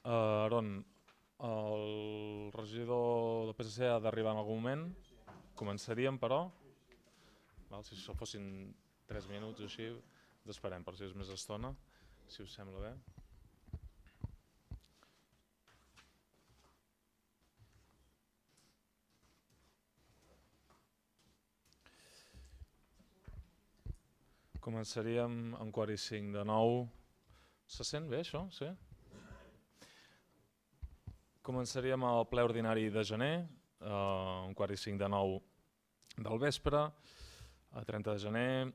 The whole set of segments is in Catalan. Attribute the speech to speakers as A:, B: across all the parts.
A: Aron, el regidor del PSC ha d'arribar en algun moment. Començaríem, però. Si això fossin 3 minuts o així, ens esperem per si és més estona, si us sembla bé. Començaríem en quart i 5 de nou. Se sent bé això? Sí? Començaríem el ple ordinari de gener, un quart i 5 de nou del vespre, a 30 de gener,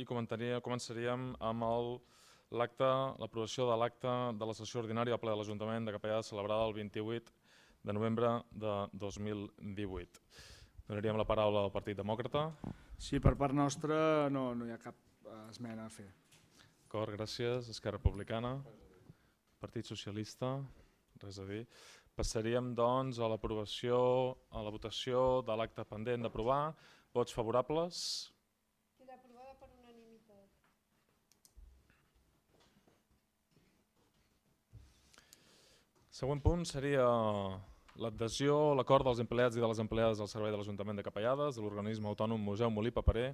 A: i començaríem amb l'aprovació de l'acte de la sessió ordinària del ple de l'Ajuntament de Capellades celebrada el 28 de novembre de 2018. Donaríem la paraula al Partit Demòcrata.
B: Sí, per part nostra no hi ha cap esmena a fer.
A: D'acord, gràcies. Esquerra Republicana, Partit Socialista, res a dir. Passaríem doncs a l'aprovació, a la votació de l'acte pendent d'aprovar. Vots favorables?
C: Queda aprovada per unanimitat.
A: Següent punt seria l'adhesió a l'acord dels empleats i de les empleades del Servei de l'Ajuntament de Capellades, de l'organisme autònom Museu Molí Paperer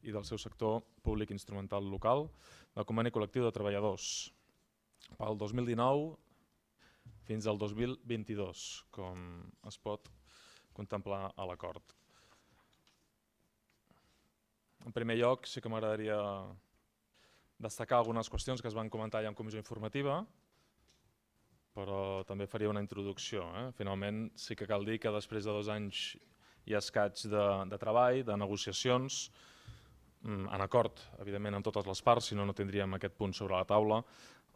A: i del seu sector públic instrumental local, del conveni col·lectiu de treballadors pel 2019 fins al 2022, com es pot contemplar a l'acord. En primer lloc, sí que m'agradaria destacar algunes qüestions que es van comentar ja en comissió informativa, però també faria una introducció. Finalment, sí que cal dir que després de 2 anys i escaig de treball, de negociacions, en acord, evidentment, amb totes les parts, si no, no tindríem aquest punt sobre la taula,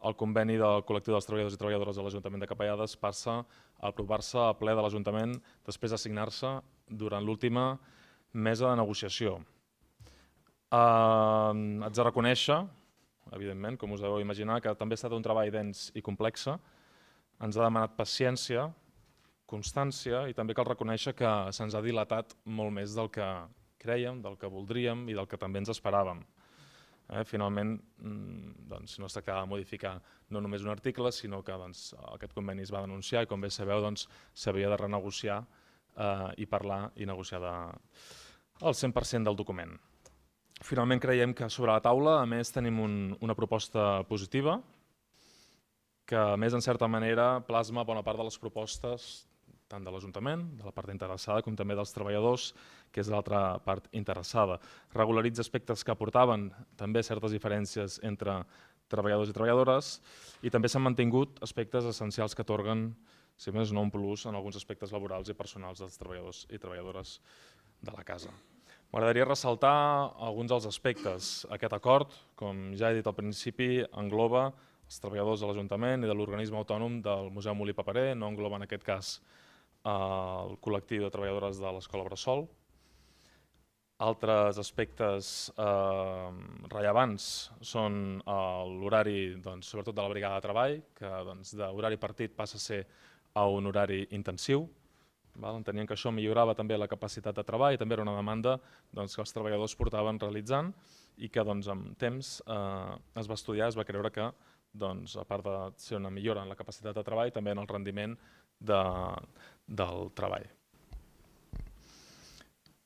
A: el conveni del col·lectiu dels treballadors i treballadores de l'Ajuntament de Capellades passa a aprovar-se a ple de l'Ajuntament després de signar-se durant l'última mesa de negociació. Haig de reconèixer, evidentment, com us deveu imaginar, que també ha estat un treball dens i complex. Ens ha demanat paciència, constància i també cal reconèixer que se'ns ha dilatat molt més del que crèiem, del que voldríem i del que també ens esperàvem. Finalment, no es tractava de modificar no només un article, sinó que aquest conveni es va denunciar i, com bé sabeu, s'havia de renegociar i parlar i negociar el 100% del document. Finalment, creiem que sobre la taula, a més, tenim una proposta positiva, que a més, en certa manera, plasma bona part de les propostes tant de l'Ajuntament, de la part interessada, com també dels treballadors, que és l'altra part interessada. Regularitza aspectes que aportaven també certes diferències entre treballadors i treballadores i també s'han mantingut aspectes essencials que atorguen, si més no, un plus en alguns aspectes laborals i personals dels treballadors i treballadores de la casa. M'agradaria ressaltar alguns dels aspectes. Aquest acord, com ja he dit al principi, engloba els treballadors de l'Ajuntament i de l'organisme autònom del Museu Molí Paperer, no engloba en aquest cas el col·lectiu de treballadores de l'Escola Bressol. Altres aspectes rellevants són l'horari, sobretot de la brigada de treball, que d'horari partit passa a ser a un horari intensiu. Entenien que això millorava també la capacitat de treball i també era una demanda que els treballadors portaven realitzant i que amb temps es va estudiar, es va creure que a part de ser una millora en la capacitat de treball, també en el rendiment del treball.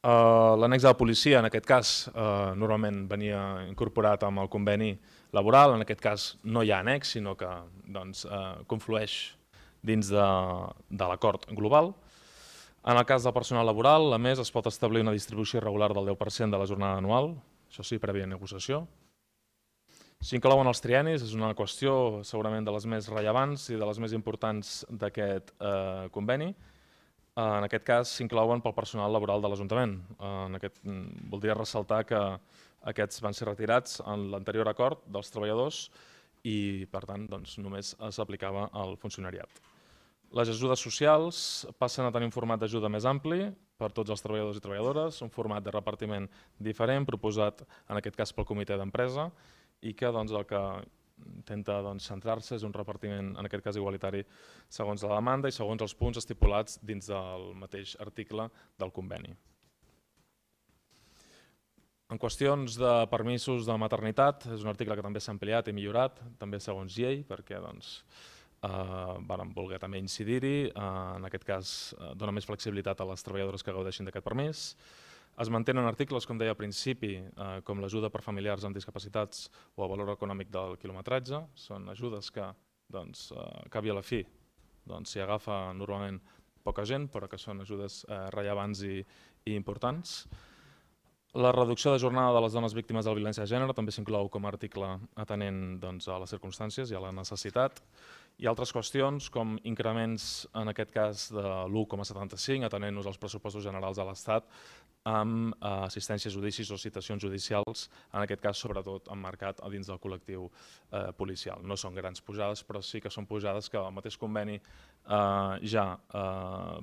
A: L'annex de la policia, en aquest cas, normalment venia incorporat amb el conveni laboral, en aquest cas no hi ha annex, sinó que conflueix dins de l'acord global. En el cas del personal laboral, a més, es pot establir una distribució irregular del 10% de la jornada anual, això sí, prèvia negociació. S'inclouen els triennis, és una qüestió segurament de les més rellevants i de les més importants d'aquest conveni. En aquest cas s'inclouen pel personal laboral de l'Ajuntament. Voldria ressaltar que aquests van ser retirats en l'anterior acord dels treballadors i per tant només s'aplicava al funcionariat. Les ajudes socials passen a tenir un format d'ajuda més ampli per tots els treballadors i treballadores, un format de repartiment diferent proposat en aquest cas pel comitè d'empresa i que el que intenta centrar-se és un repartiment, en aquest cas igualitari, segons la demanda i segons els punts estipulats dins del mateix article del conveni. En qüestions de permisos de maternitat, és un article que també s'ha ampliat i millorat, també segons llei, perquè vàrem voler també incidir-hi. En aquest cas, dona més flexibilitat a les treballadores que gaudeixin d'aquest permís. Es mantenen articles, com deia al principi, com l'ajuda per familiars amb discapacitats o el valor econòmic del quilometratge. Són ajudes que, cap i a la fi, s'hi agafa normalment poca gent, però que són ajudes rellevants i importants. La reducció de jornada de les dones víctimes de la violència de gènere també s'inclou com a article atenent a les circumstàncies i a la necessitat. I altres qüestions com increments, en aquest cas de l'1,75, atenent-nos als pressupostos generals de l'Estat, amb assistència a judicis o citacions judicials, en aquest cas sobretot emmarcat a dins del col·lectiu policial. No són grans pujades, però sí que són pujades que el mateix conveni ja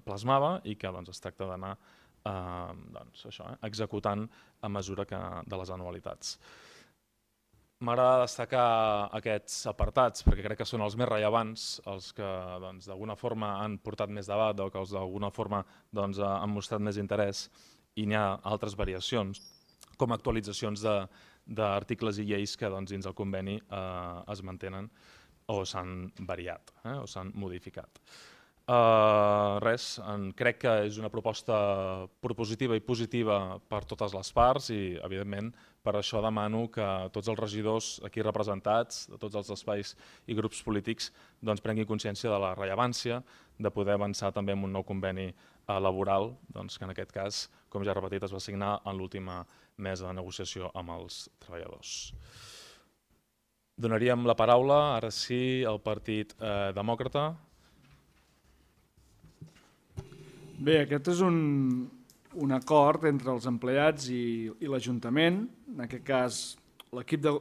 A: plasmava i que es tracta d'anar executant a mesura de les anualitats. M'agrada destacar aquests apartats perquè crec que són els més rellevants, els que d'alguna forma han portat més debat o que d'alguna forma han mostrat més interès, i n'hi ha altres variacions, com actualitzacions d'articles i lleis que dins el conveni es mantenen o s'han variat o s'han modificat. Crec que és una proposta propositiva i positiva per totes les parts i, evidentment, per això demano que tots els regidors aquí representats, de tots els espais i grups polítics, prenguin consciència de la rellevància de poder avançar també en un nou conveni laboral, que en aquest cas, com ja he repetit, es va signar en l'última mesa de negociació amb els treballadors. Donaríem la paraula, ara sí, al Partit Demòcrata.
B: Bé, aquest és un acord entre els empleats i l'Ajuntament, en aquest cas l'equip de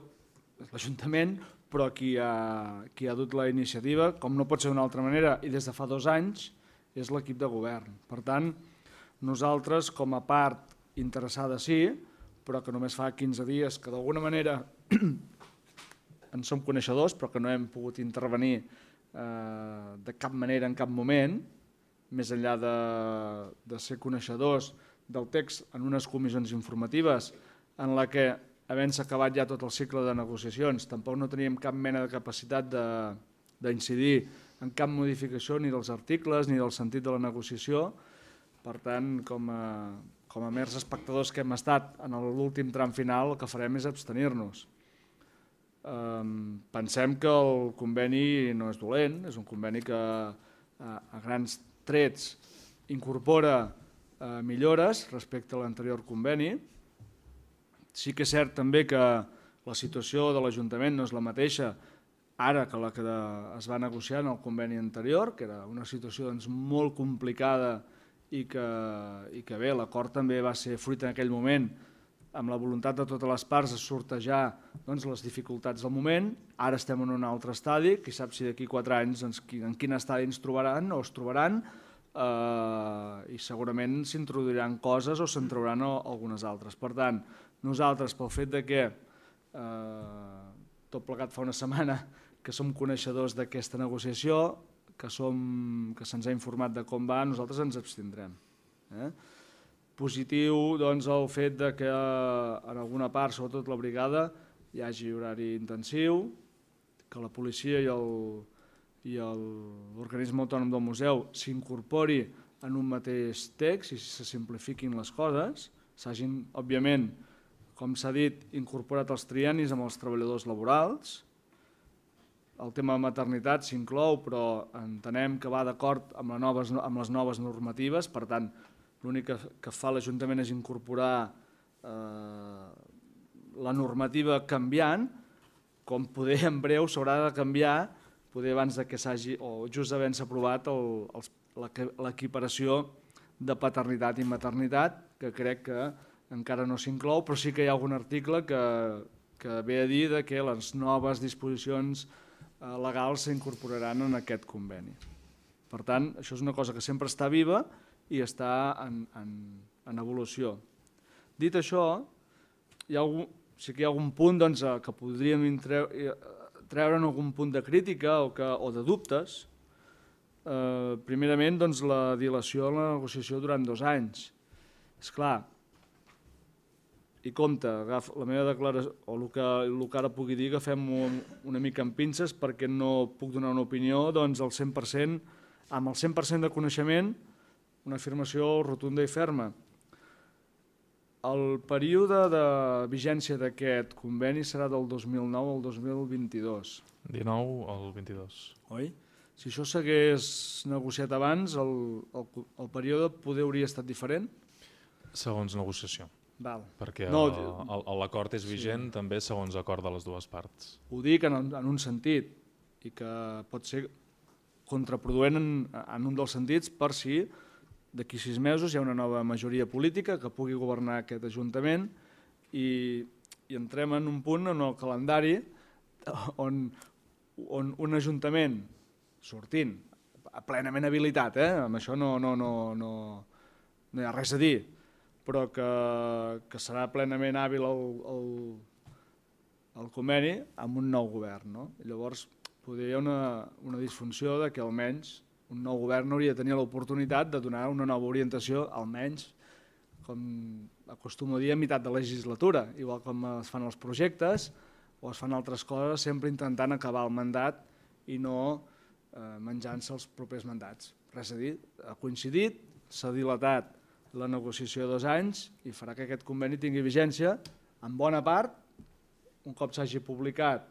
B: l'Ajuntament, però qui ha dut la iniciativa, com no pot ser d'una altra manera, i des de fa 2 anys, és l'equip de govern. Per tant, nosaltres, com a part interessada sí, però que només fa 15 dies que d'alguna manera en som coneixedors, però que no hem pogut intervenir de cap manera en cap moment, més enllà de ser coneixedors del text en unes comissions informatives en la que, havent-se acabat ja tot el cicle de negociacions, tampoc no teníem cap mena de capacitat d'incidir en cap modificació ni dels articles ni del sentit de la negociació. Per tant, com a mers espectadors que hem estat en l'últim tram final, el que farem és abstenir-nos. Pensem que el conveni no és dolent, és un conveni que a grans trets incorpora millores respecte a l'anterior conveni. Sí que és cert també que la situació de l'Ajuntament no és la mateixa ara que la que es va negociar en el conveni anterior, que era una situació molt complicada i que bé, l'acord també va ser fruit en aquell moment amb la voluntat de totes les parts de sortejar les dificultats del moment. Ara estem en un altre estadi, qui sap si d'aquí 4 anys en quin estadi ens trobaran o es trobaran, i segurament s'introduiran coses o se'n trauran algunes altres. Per tant, nosaltres, pel fet que tot plegat fa una setmana que som coneixedors d'aquesta negociació, que se'ns ha informat de com va, nosaltres ens abstindrem. Positiu el fet que en alguna part, sobretot la brigada, hi hagi horari intensiu, que la policia i l'organisme autònom del museu s'incorpori en un mateix text i se simplifiquin les coses, s'hagin, òbviament, com s'ha dit, incorporat els triennis amb els treballadors laborals. El tema de maternitat s'inclou, però entenem que va d'acord amb les noves normatives, per tant, l'únic que fa l'Ajuntament és incorporar la normativa canviant, com poder en breu s'haurà de canviar, poder abans que s'hagi, o just havent-se aprovat l'equiparació de paternitat i maternitat, que crec que encara no s'inclou, però sí que hi ha algun article que ve a dir que les noves disposicions legals s'incorporaran en aquest conveni. Per tant, això és una cosa que sempre està viva i està en evolució. Dit això, sí que hi ha algun punt que podríem treure'n algun punt de crítica o de dubtes. Primerament, la dilació de la negociació durant 2 anys. És clar, i compte, la meva declaració, o el que ara pugui dir, agafem una mica amb pinces perquè no puc donar una opinió doncs al 100%, amb el 100% de coneixement, una afirmació rotunda i ferma. El període de vigència d'aquest conveni serà del 2009 al 2022.
A: 19 al 22.
B: Oi? Si això s'hagués negociat abans, el període poder hauria estat diferent?
A: Segons negociació.
B: Val.
A: Perquè
B: No,
A: l'acord és vigent també segons acord de les dues parts.
B: ho dic en un sentit, i que pot ser contraproduent en un dels sentits per si d'aquí 6 mesos hi ha una nova majoria política que pugui governar aquest Ajuntament i entrem en un punt en el calendari on un Ajuntament sortint plenament habilitat, amb això no hi ha res a dir, però que serà plenament hàbil el conveni amb un nou govern. No? I llavors hi ha una disfunció de que almenys un nou govern hauria de tenir l'oportunitat de donar una nova orientació, almenys, com acostumo a dir, a meitat de legislatura, igual com es fan els projectes o es fan altres coses, sempre intentant acabar el mandat i no menjant-se els propers mandats. Res a dir, ha coincidit, s'ha dilatat la negociació 2 anys i farà que aquest conveni tingui vigència en bona part, un cop s'hagi publicat,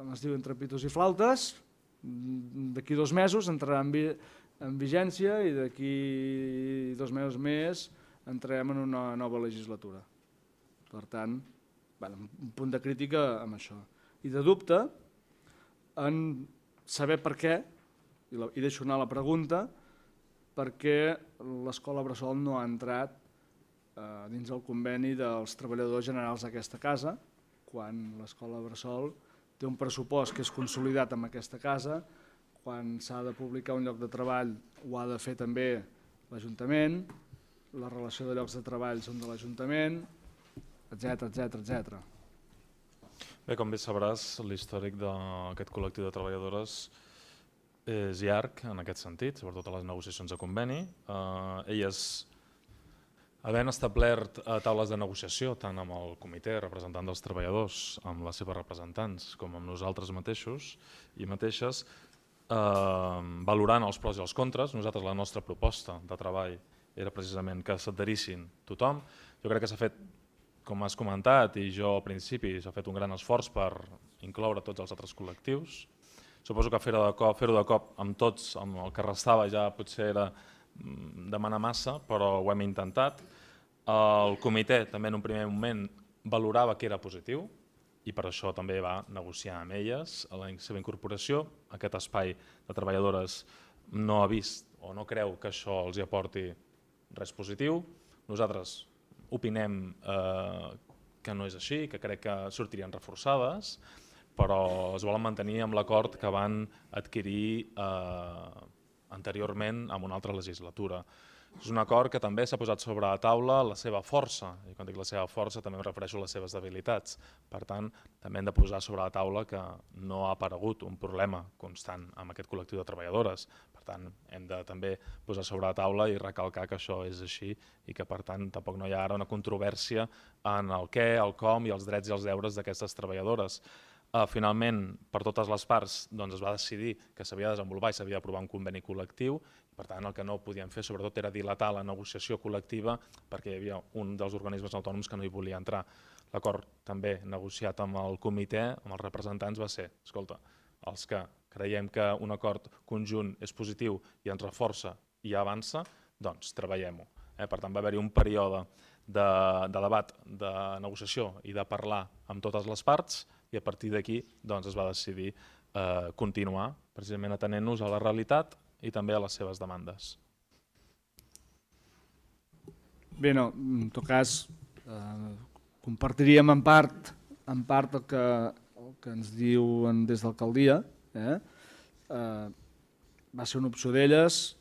B: es diu entre pitos i flautes, d'aquí 2 mesos entrarà en vigència i d'aquí 2 mesos més entrem en una nova legislatura. Per tant, un punt de crítica amb això. I de dubte en saber per què, i deixo anar la pregunta, per què l'Escola Bressol no ha entrat dins el conveni dels treballadors generals d'aquesta casa, quan l'Escola Bressol té un pressupost que és consolidat amb aquesta casa, quan s'ha de publicar un lloc de treball ho ha de fer també l'Ajuntament, la relació de llocs de treball són de l'Ajuntament, etc.
A: Bé, com bé sabràs, l'històric d'aquest col·lectiu de treballadores és llarg en aquest sentit, sobretot a les negociacions de conveni. Elles, havent establert taules de negociació tant amb el comitè representant dels treballadors, amb les seves representants, com amb nosaltres mateixos i mateixes, valorant els pros i els contres, nosaltres la nostra proposta de treball era precisament que s'adherissin tothom. Jo crec que s'ha fet, com has comentat, i jo al principi s'ha fet un gran esforç per incloure tots els altres col·lectius. Suposo que fer-ho de cop amb tots, amb el que restava ja potser era demanar massa, però ho hem intentat. El comitè també en un primer moment valorava que era positiu i per això també va negociar amb elles a la seva incorporació. Aquest espai de treballadores no ha vist o no creu que això els aporti res positiu. Nosaltres opinem que no és així, que crec que sortirien reforçades, però es volen mantenir amb l'acord que van adquirir anteriorment en una altra legislatura. És un acord que també s'ha posat sobre la taula la seva força, i quan dic la seva força també em refereixo a les seves debilitats. Per tant, també hem de posar sobre la taula que no ha aparegut un problema constant amb aquest col·lectiu de treballadores. Per tant, hem de també posar sobre la taula i recalcar que això és així i que per tant tampoc no hi ha ara una controvèrsia en el què, el com i els drets i els deures d'aquestes treballadores. Finalment, per totes les parts es va decidir que s'havia de desenvolupar i s'havia d'aprovar un conveni col·lectiu. Per tant, el que no podien fer sobretot era dilatar la negociació col·lectiva perquè hi havia un dels organismes autònoms que no hi volia entrar. L'acord també negociat amb el comitè, amb els representants, va ser, escolta, els que creiem que un acord conjunt és positiu i ens reforça i avança, doncs treballem-ho. Per tant, va haver-hi un període de debat, de negociació i de parlar amb totes les parts i a partir d'aquí es va decidir continuar, precisament atenent-nos a la realitat i també a les seves demandes.
B: Bé, no, en tot cas, compartiríem en part el que ens diuen des d'alcaldia. Va ser una opció d'elles,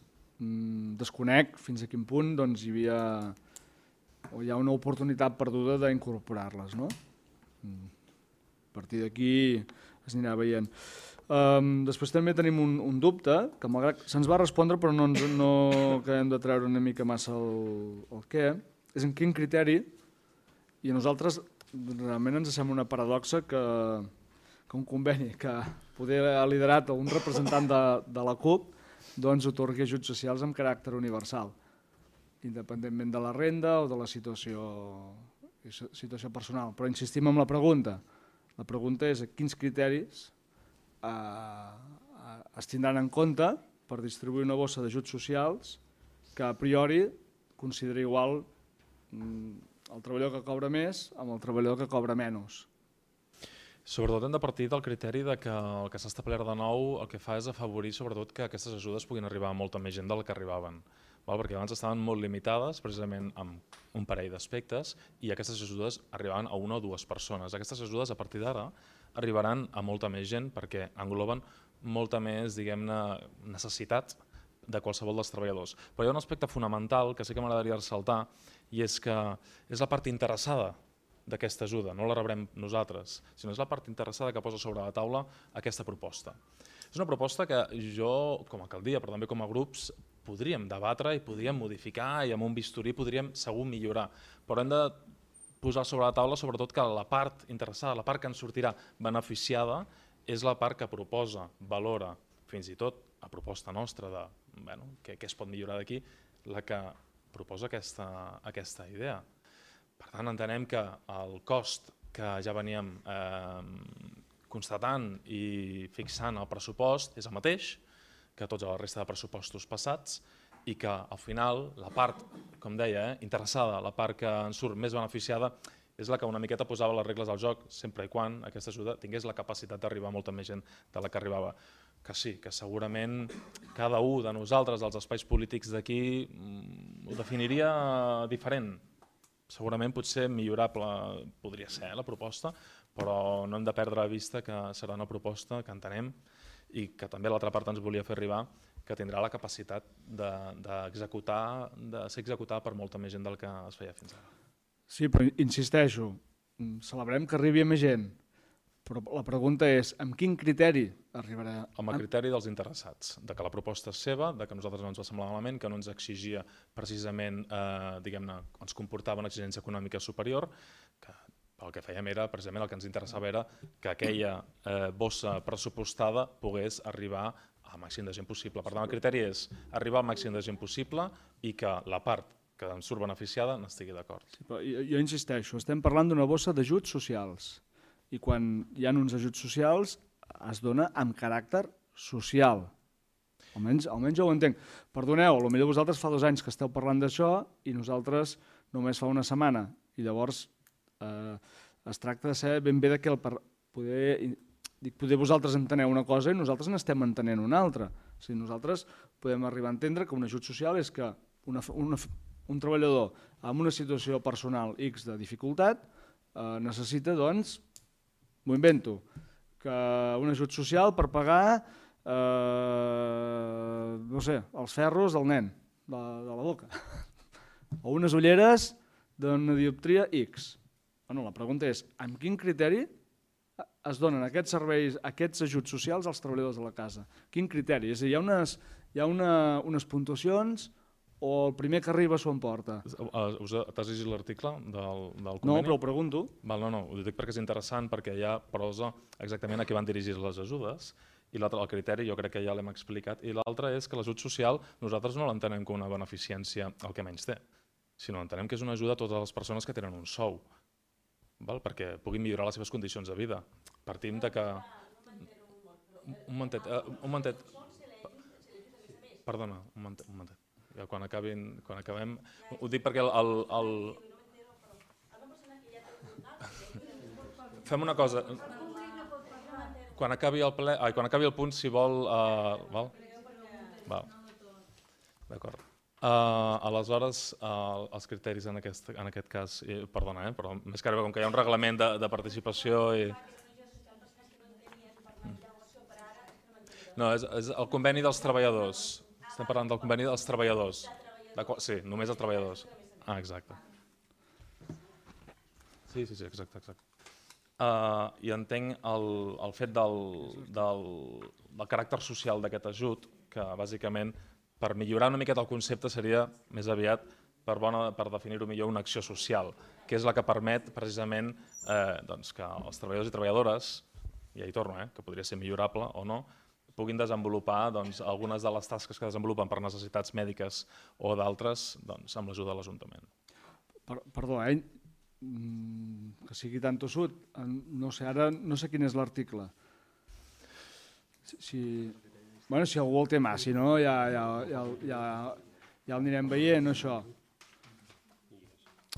B: desconec fins a quin punt hi ha una oportunitat perduda d'incorporar-les. A partir d'aquí es anirà veient. Després també tenim un dubte, que malgrat se'ns va respondre però no acabem de treure una mica massa el què, és en quin criteri I a nosaltres realment ens sembla una paradoxa que un conveni que poder ha liderat un representant de la CUP doncs otorgui ajuts socials amb caràcter universal, independentment de la renda o de la situació personal. Però insistim en la pregunta. La pregunta és quins criteris es tindran en compte per distribuir una bossa d'ajuts socials que a priori consideri igual el treballador que cobra més amb el treballador que cobra menys.
A: Sobretot hem de partir del criteri que el que s'ha establert de nou el que fa és afavorir sobretot que aquestes ajudes puguin arribar a molta més gent del que arribaven. Perquè abans estaven molt limitades precisament amb un parell d'aspectes i aquestes ajudes arribaven a una o dues persones. Aquestes ajudes a partir d'ara arribaran a molta més gent perquè engloben molta més, diguem-ne, necessitat de qualsevol dels treballadors. Però hi ha un aspecte fonamental que sí que m'agradaria ressaltar i és que és la part interessada d'aquesta ajuda, no la rebrem nosaltres, sinó és la part interessada que posa sobre la taula aquesta proposta. És una proposta que jo, com a alcaldia, però també com a grups, podríem debatre i podríem modificar i amb un bisturí podríem segur millorar, però hem de posar sobre la taula sobretot que la part interessada, la part que ens sortirà beneficiada, és la part que proposa, valora, fins i tot a proposta nostra de què es pot millorar d'aquí, la que proposa aquesta idea. Per tant, entenem que el cost que ja veníem constatant i fixant al pressupost és el mateix que tota la resta de pressupostos passats i que al final la part, com deia, interessada, la part que ens surt més beneficiada és la que una miqueta posava les regles del joc sempre i quan aquesta ajuda tingués la capacitat d'arribar a molta més gent de la que arribava. Que sí, que segurament cada un de nosaltres, dels espais polítics d'aquí, ho definiria diferent. Segurament potser millorable podria ser la proposta, però no hem de perdre de vista que serà una proposta que entenem i que també l'altra part ens volia fer arribar, que tindrà la capacitat d'executar, de ser executada per molta més gent del que es feia fins ara.
B: Sí, però insisteixo, celebrem que arribi a més gent, però la pregunta és amb quin criteri arribarà?
A: Amb el criteri dels interessats, de que la proposta és seva, de que a nosaltres no ens va semblar malament, que no ens exigia precisament, diguem-ne, ens comportava una exigència econòmica superior, que el que fèiem era, precisament el que ens interessava era que aquella bossa pressupostada pogués arribar al màxim de gent possible. Per tant, el criteri és arribar al màxim de gent possible i que la part que ens surt beneficiada n'estigui d'acord.
B: Sí, però jo insisteixo, estem parlant d'una bossa d'ajuts socials i quan hi ha uns ajuts socials es dona amb caràcter social. Almenys jo ho entenc. Perdoneu, potser vosaltres fa 2 anys que esteu parlant d'això i nosaltres només fa una setmana i llavors es tracta de saber ben bé de què poder vosaltres enteneu una cosa i nosaltres n'estem entenent una altra. O sigui, nosaltres podem arribar a entendre que un ajut social és que un treballador amb una situació personal X de dificultat necessita, doncs, m'ho invento, que un ajut social per pagar, no sé, els ferros del nen, de la boca, o unes ulleres d'una dioptria X. La pregunta és, amb quin criteri es donen aquests serveis, aquests ajuts socials als treballadors de la casa? Quin criteri? És a dir, hi ha unes puntuacions o el primer que arriba s'ho emporta?
A: T'has llegit l'article del conveni?
B: No, però ho pregunto.
A: No, ho dic perquè és interessant, perquè ja prosa exactament a qui van dirigir les ajudes i l'altre, el criteri, jo crec que ja l'hem explicat, i l'altre és que l'ajut social nosaltres no l'entenem com una beneficència al que menys té, sinó entenem que és una ajuda a totes les persones que tenen un sou, perquè puguin millorar les seves condicions de vida. Partim de que... Un momentet. Perdona, un momentet. Quan acabem... Ho dic perquè Fem una cosa. Quan acabi el punt, si vol... D'acord. Aleshores, els criteris en aquest cas, perdona, però més que res, com que hi ha un reglament de participació i... No, és el conveni dels treballadors. Estem parlant del conveni dels treballadors. Sí, només els treballadors. Exacte. Sí, exacte. I entenc el fet del caràcter social d'aquest ajut, que bàsicament per millorar una miqueta el concepte seria més aviat per definir-ho millor, una acció social, que és la que permet precisament que els treballadors i treballadores, i ja hi torno, que podria ser millorable o no, puguin desenvolupar algunes de les tasques que desenvolupen per necessitats mèdiques o d'altres amb l'ajuda de l'Ajuntament.
B: Perdó, que sigui tan tossut. No sé, ara no sé quin és l'article. Si algú el té mà, si no ja el anirem veient, això.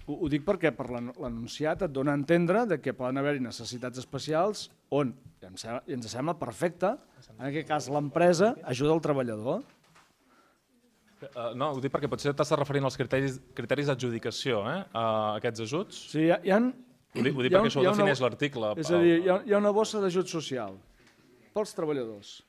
B: Ho dic perquè per l'enunciat et dona a entendre que poden haver-hi necessitats especials on, i ens sembla perfecte, en aquest cas l'empresa ajuda el treballador.
A: No, ho dic perquè potser t'estàs referint als criteris d'adjudicació a aquests ajuts.
B: Sí,
A: Ho dic perquè això ho defineix l'article.
B: És a dir, hi ha una bossa d'ajut social pels treballadors.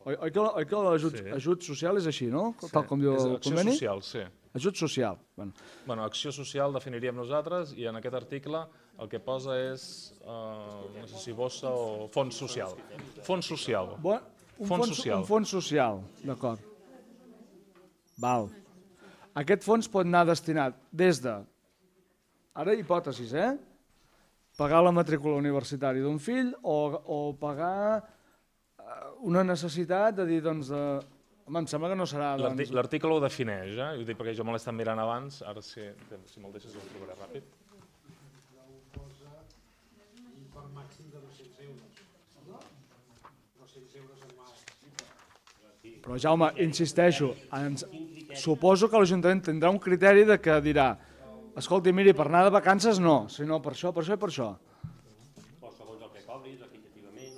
B: Oi que l'ajut social és així, no? Tal com diu el conveni?
A: Acció social, sí.
B: Ajut social.
A: Bueno, acció social definiríem nosaltres i en aquest article el que posa és, no sé si bossa o fons social. Fons social.
B: Un fons social, d'acord. Val. Aquest fons pot anar destinat des de, ara hipòtesis, pagar la matrícula universitària d'un fill o pagar una necessitat de dir, doncs, home, em sembla que no serà...
A: L'article ho defineix, ho dic perquè jo me l'he estat mirant abans, ara si me'l deixes ho trobaré ràpid.
D: Per màxim de 200 euros. 200 euros anuals.
B: Però, Jaume, insisteixo, suposo que l'Ajuntament tindrà un criteri de que dirà escolti, miri, per anar de vacances no, sinó per això, per això i per això.
D: O segons el que cobris, equitativament.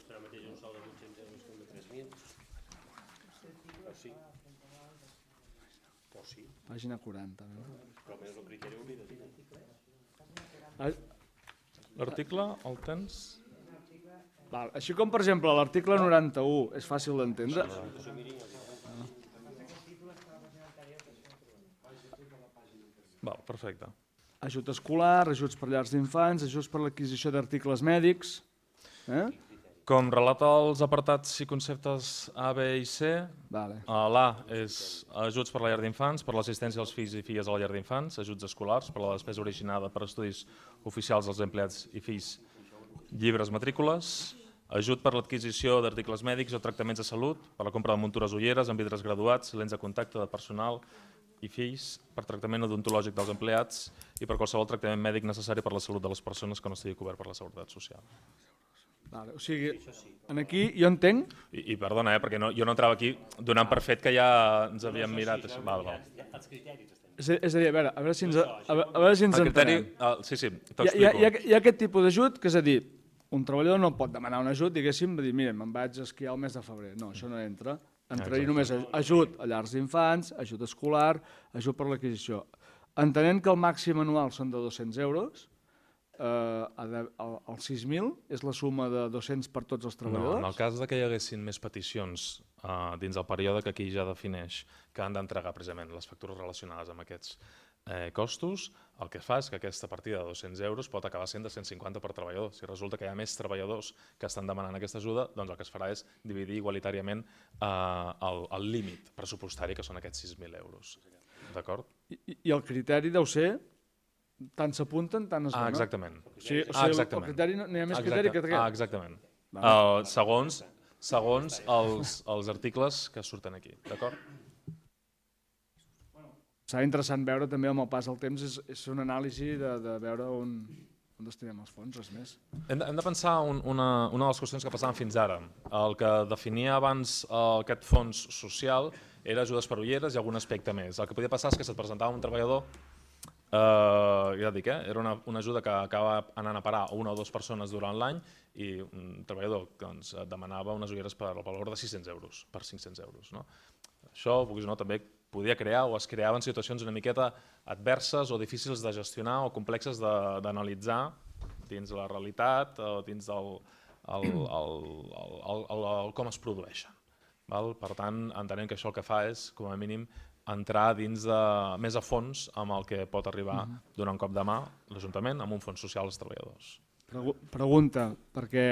D: Serà mateix un sou de 800 euros com de 3.000. O sí. O sí.
B: Pàgina 40.
D: Però més el criteri obligatori.
A: L'article el tens?
B: Val. Així com, per exemple, l'article 91 és fàcil d'entendre.
A: Val, perfecte.
B: Ajut escolar, ajuts per llars d'infants, ajuts per l'adquisició d'articles mèdics.
A: Com relata els apartats i conceptes A, B i C, l'A és ajuts per la llar d'infants, per l'assistència als fills i filles a la llar d'infants, ajuts escolars per la despesa originada per estudis oficials dels empleats i fills, llibres, matrícules, ajut per l'adquisició d'articles mèdics o tractaments de salut, per la compra de muntures ulleres amb vidres graduats, lents de contacte de personal i fills, per tractament odontològic dels empleats i per qualsevol tractament mèdic necessari per la salut de les persones que no estigui cobert per la Seguretat Social.
B: O sigui, aquí jo entenc...
A: I perdona, perquè jo no entrava aquí donant per fet que ja ens havíem mirat això.
B: És a dir, a veure si ens entenem.
A: Sí, t'explico.
B: Hi ha aquest tipus d'ajut, que és a dir, un treballador no pot demanar un ajut, diguéssim, de dir, mira, me'n vaig a esquiar el mes de febrer. No, això no entra. Entraria només ajut a llars d'infants, ajut escolar, ajut per l'adquisició. Entenent que el màxim anual són de 200 euros, el 6.000 és la suma de 200 per tots els treballadors?
A: No, en el cas que hi haguessin més peticions dins el període que aquí ja defineix que han d'entregar precisament les factures relacionades amb aquests costos, el que fa és que aquesta partida de 200 euros pot acabar sent de 150 per treballador. Si resulta que hi ha més treballadors que estan demanant aquesta ajuda, doncs el que es farà és dividir igualitàriament el límit pressupostari, que són aquests 6.000 euros. D'acord?
B: I el criteri deu ser tant s'apunten, tant es donen.
A: Exactament.
B: O sigui, el criteri, no hi ha més criteri que aquest.
A: Exactament. Segons els articles que surten aquí. D'acord?
B: Serà interessant veure també amb el pas del temps, és una anàlisi de veure on destinem els fons, res més.
A: Hem de pensar una de les qüestions que passaven fins ara. El que definia abans aquest fons social era ajudes per ulleres i algun aspecte més. El que podia passar és que se't presentava un treballador, ja dic, era una ajuda que acaba anant a parar a una o dues persones durant l'any i un treballador demanava unes ulleres per valor de 600 euros, per 500 euros. Això, vulguis o no, també podia crear o es creaven situacions una miqueta adverses o difícils de gestionar o complexes d'analitzar dins la realitat o dins com es produeixen. Per tant, entenem que això el que fa és, com a mínim, entrar dins més a fons amb el que pot arribar donar un cop de mà l'Ajuntament amb un fons social als treballadors.
B: Pregunta, perquè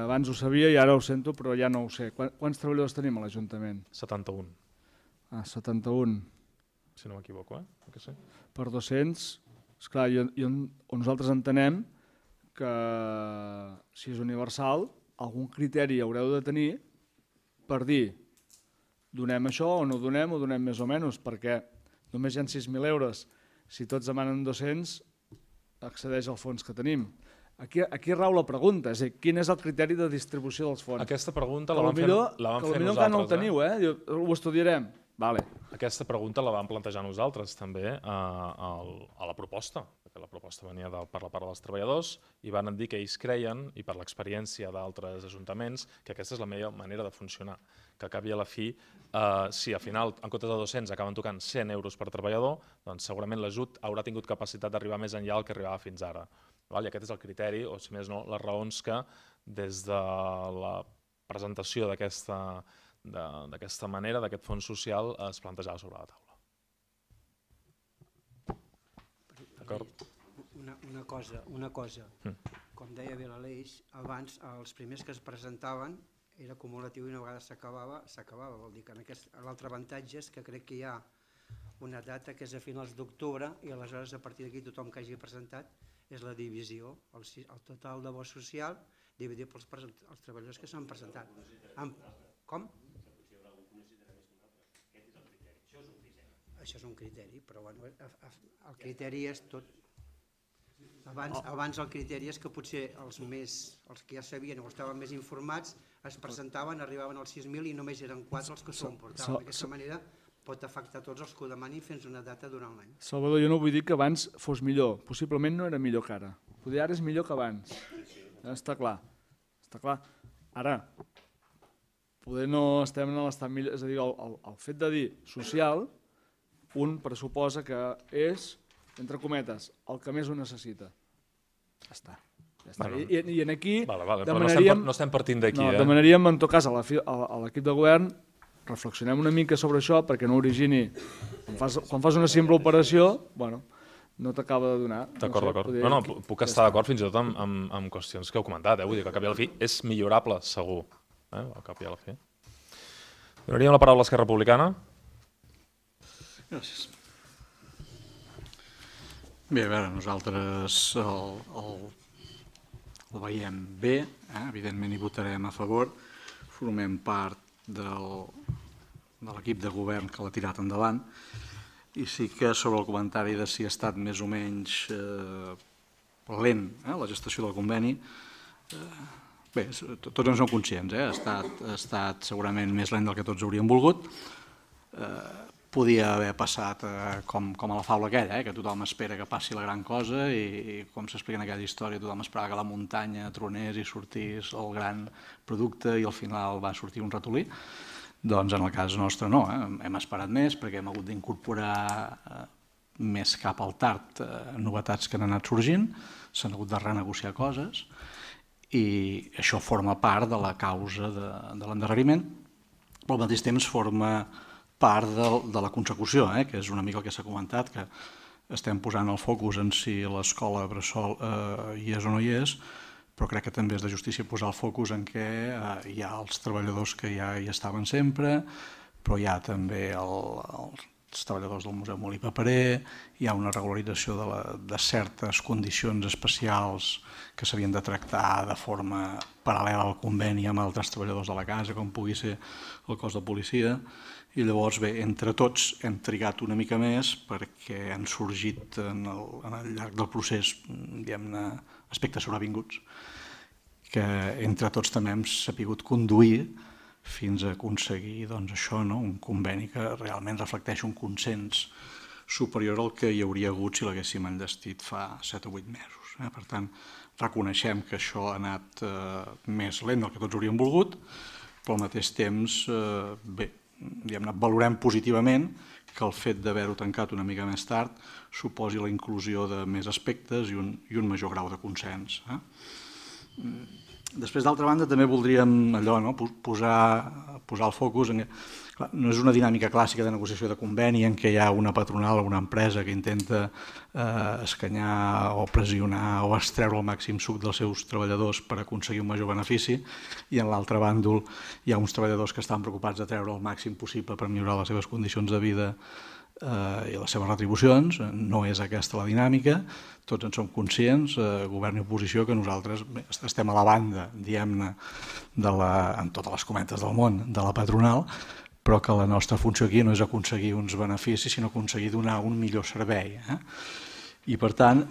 B: abans ho sabia i ara ho sento, però ja no ho sé. Quants treballadors tenim a l'Ajuntament?
A: 71.
B: a 71
A: si no m'equivoco, que sí.
B: per 200, esclar, nosaltres entenem que si és universal, algun criteri haureu de tenir per dir donem això o no donem, o donem més o menys, perquè només hi ha 6.000 euros. Si tots demanen 200, accedeix al fons que tenim. Aquí rau la pregunta, és a dir, quin és el criteri de distribució dels fons?
A: Aquesta pregunta
B: que
A: la vam fer
B: potser encara no el teniu, ho estudiarem. Vale.
A: Aquesta pregunta la vam plantejar nosaltres també a la proposta, perquè la proposta venia per la part dels treballadors i van dir que ells creien, i per l'experiència d'altres ajuntaments, que aquesta és la millor manera de funcionar, que al cap i a la fi, si al final en comptes de 200 acaben tocant 100 euros per treballador, doncs segurament l'ajut haurà tingut capacitat d'arribar més enllà del que arribava fins ara. I aquest és el criteri, o si més no, les raons que des de la presentació d'aquesta manera, d'aquest fons social, es plantejava sobre la taula. D'acord?
E: Una cosa. Com deia bé l'Aleix, abans els primers que es presentaven era acumulatiu i una vegada s'acabava. Vol dir que l'altre avantatge és que crec que hi ha una data que és a finals d'octubre i aleshores a partir d'aquí tothom que hagi presentat és la divisió, el total de bo social dividit pels treballadors que s'han presentat. Com? Això és un criteri, però el criteri és tot. Abans el criteri és que potser els que ja sabien o estaven més informats es presentaven, arribaven als 6.000 i només eren 4 els que s'ho emportaven. D'aquesta manera pot afectar tots els que ho demanin fins una data durant l'any.
B: Salvador, jo no vull dir que abans fos millor. Possiblement no era millor que ara. Potser ara és millor que abans. Està clar. Ara, poder no estem en l'estat millor. És a dir, el fet de dir social, un pressuposa que és, entre cometes, el que més ho necessita. Ja està. I aquí demanaríem...
A: No estem partint d'aquí.
B: Demanaríem, en tot cas, a l'equip de govern reflexionem una mica sobre això perquè no origini, quan fas una simple operació, no t'acaba de donar.
A: D'acord. No, puc estar d'acord fins i tot amb qüestions que heu comentat, vull dir que al cap i a la fi és millorable, segur, al cap i a la fi. Donaríem la paraula a Esquerra Republicana.
F: Gràcies. Bé, a veure, nosaltres el veiem bé, evidentment hi votarem a favor, formem part de l'equip de govern que l'ha tirat endavant i sí que sobre el comentari de si ha estat més o menys lent la gestació del conveni, bé, tots en som conscients, ha estat segurament més lent del que tots hauríem volgut. Podia haver passat com a la faula aquella, que tothom espera que passi la gran cosa i com s'explica en aquella història, tothom esperava que la muntanya tronés i sortís el gran producte i al final va sortir un ratolí. Doncs en el cas nostre no, hem esperat més perquè hem hagut d'incorporar més cap al tard novetats que han anat sorgint, s'han hagut de renegociar coses i això forma part de la causa de l'endarreriment, però al mateix temps forma part de la consecució, que és una mica el que s'ha comentat, que estem posant el focus en si l'escola bressol hi és o no hi és, però crec que també és de justícia posar el focus en què hi ha els treballadors que ja hi estaven sempre, però hi ha també els treballadors del Museu Molí Paperer, hi ha una regularització de certes condicions especials que s'havien de tractar de forma paral·lela al conveni amb altres treballadors de la casa, com pugui ser el cos de policia, i llavors, bé, entre tots hem trigat una mica més perquè han sorgit en el llarg del procés, diguem-ne, aspectes sobrevinguts que entre tots també hem sapigut conduir fins a aconseguir això, un conveni que realment reflecteix un consens superior al que hi hauria hagut si l'haguéssim enllestit fa 7 o 8 mesos. Per tant, reconeixem que això ha anat més lent del que tots hauríem volgut, però al mateix temps, bé, valorem positivament que el fet d'haver-ho tancat una mica més tard suposi la inclusió de més aspectes i un major grau de consens. Després, d'altra banda, també voldríem allò, no? posar el focus en... Clar, no és una dinàmica clàssica de negociació de conveni en què hi ha una patronal o una empresa que intenta escanyar o pressionar o extreure el màxim suc dels seus treballadors per aconseguir un major benefici, i en l'altre bàndol hi ha uns treballadors que estan preocupats de treure el màxim possible per millorar les seves condicions de vida i les seves retribucions. No és aquesta la dinàmica, tots en som conscients, govern i oposició, que nosaltres estem a la banda, diguem-ne, en totes les cometes del món, de la patronal, però que la nostra funció aquí no és aconseguir uns beneficis, sinó aconseguir donar un millor servei. I per tant,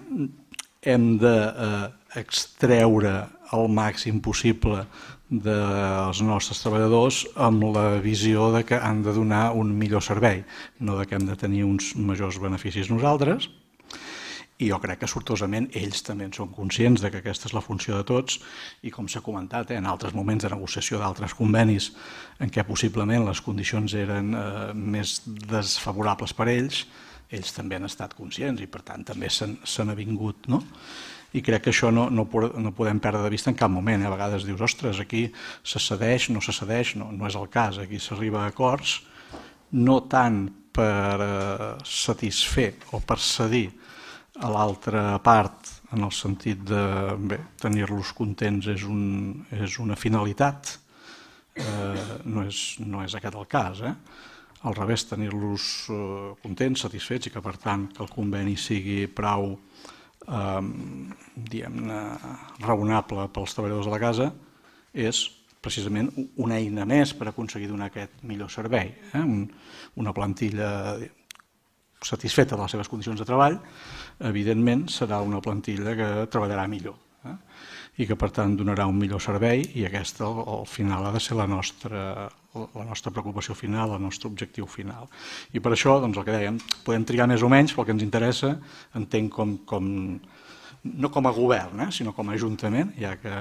F: hem d'extreure el màxim possible dels nostres treballadors amb la visió de que han de donar un millor servei, no de que hem de tenir uns majors beneficis nosaltres. I jo crec que sortosament ells també en són conscients de que aquesta és la funció de tots, i com s'ha comentat, en altres moments de negociació d'altres convenis en què possiblement les condicions eren més desfavorables per ells, ells també han estat conscients i per tant també s'han avingut, no? I crec que això no podem perdre de vista en cap moment. A vegades dius, ostres, aquí se cedeix, no se cedeix, no és el cas. Aquí s'arriba a acords, no tant per satisfer o per cedir a l'altra part, en el sentit de tenir-los contents és una finalitat, no és aquest el cas. Al revés, tenir-los contents, satisfets, i que per tant que el conveni sigui prou diguem-ne raonable pels treballadors de la casa és precisament una eina més per aconseguir donar aquest millor servei. Una plantilla satisfeta de les seves condicions de treball, evidentment serà una plantilla que treballarà millor i que per tant donarà un millor servei, i aquesta al final ha de ser la nostra preocupació final, el nostre objectiu final. I per això, doncs el que dèiem, podem triar més o menys, però el que ens interessa, entenc no com a govern, sinó com a ajuntament, ja que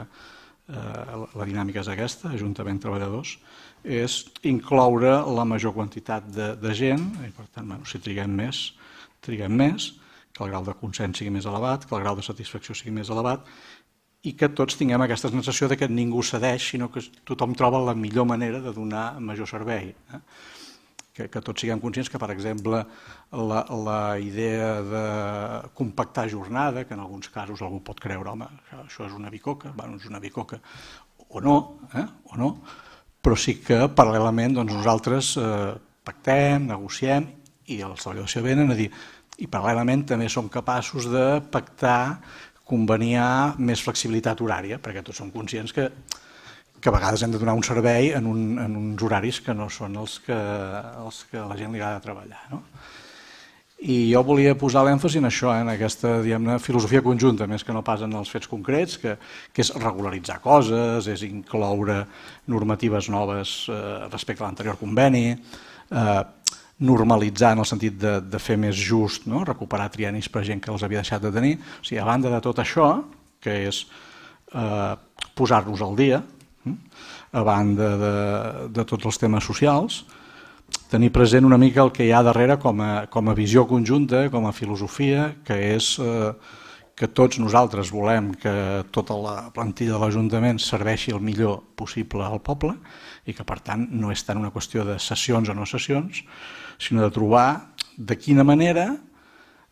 F: la dinàmica és aquesta, ajuntament treballadors, és incloure la major quantitat de gent, i per tant, si triguem més, que el grau de consens sigui més elevat, que el grau de satisfacció sigui més elevat, i que tots tinguem aquesta sensació que ningú cedeix, sinó que tothom troba la millor manera de donar major servei. Que tots siguem conscients que, per exemple, la idea de compactar jornada, que en alguns casos algú pot creure, home, això és una bicoca, és una bicoca, o no, però sí que paral·lelament nosaltres pactem, negociem, i els treballadors s'hi venen a dir, i paral·lelament també som capaços de pactar, conveniar més flexibilitat horària, perquè tots som conscients que a vegades hem de donar un servei en uns horaris que no són els que a la gent li agrada treballar. I jo volia posar l'èmfasi en això, en aquesta filosofia conjunta, més que no pas en els fets concrets, que és regularitzar coses, és incloure normatives noves respecte a l'anterior conveni, normalitzar en el sentit de fer més just, recuperar triennis per gent que els havia deixat de tenir. O sigui, a banda de tot això, que és posar-nos al dia, a banda de tots els temes socials, tenir present una mica el que hi ha darrere com a visió conjunta, com a filosofia, que és que tots nosaltres volem que tota la plantilla de l'Ajuntament serveixi el millor possible al poble i que per tant no és tant una qüestió de sessions o no sessions, sinó de trobar de quina manera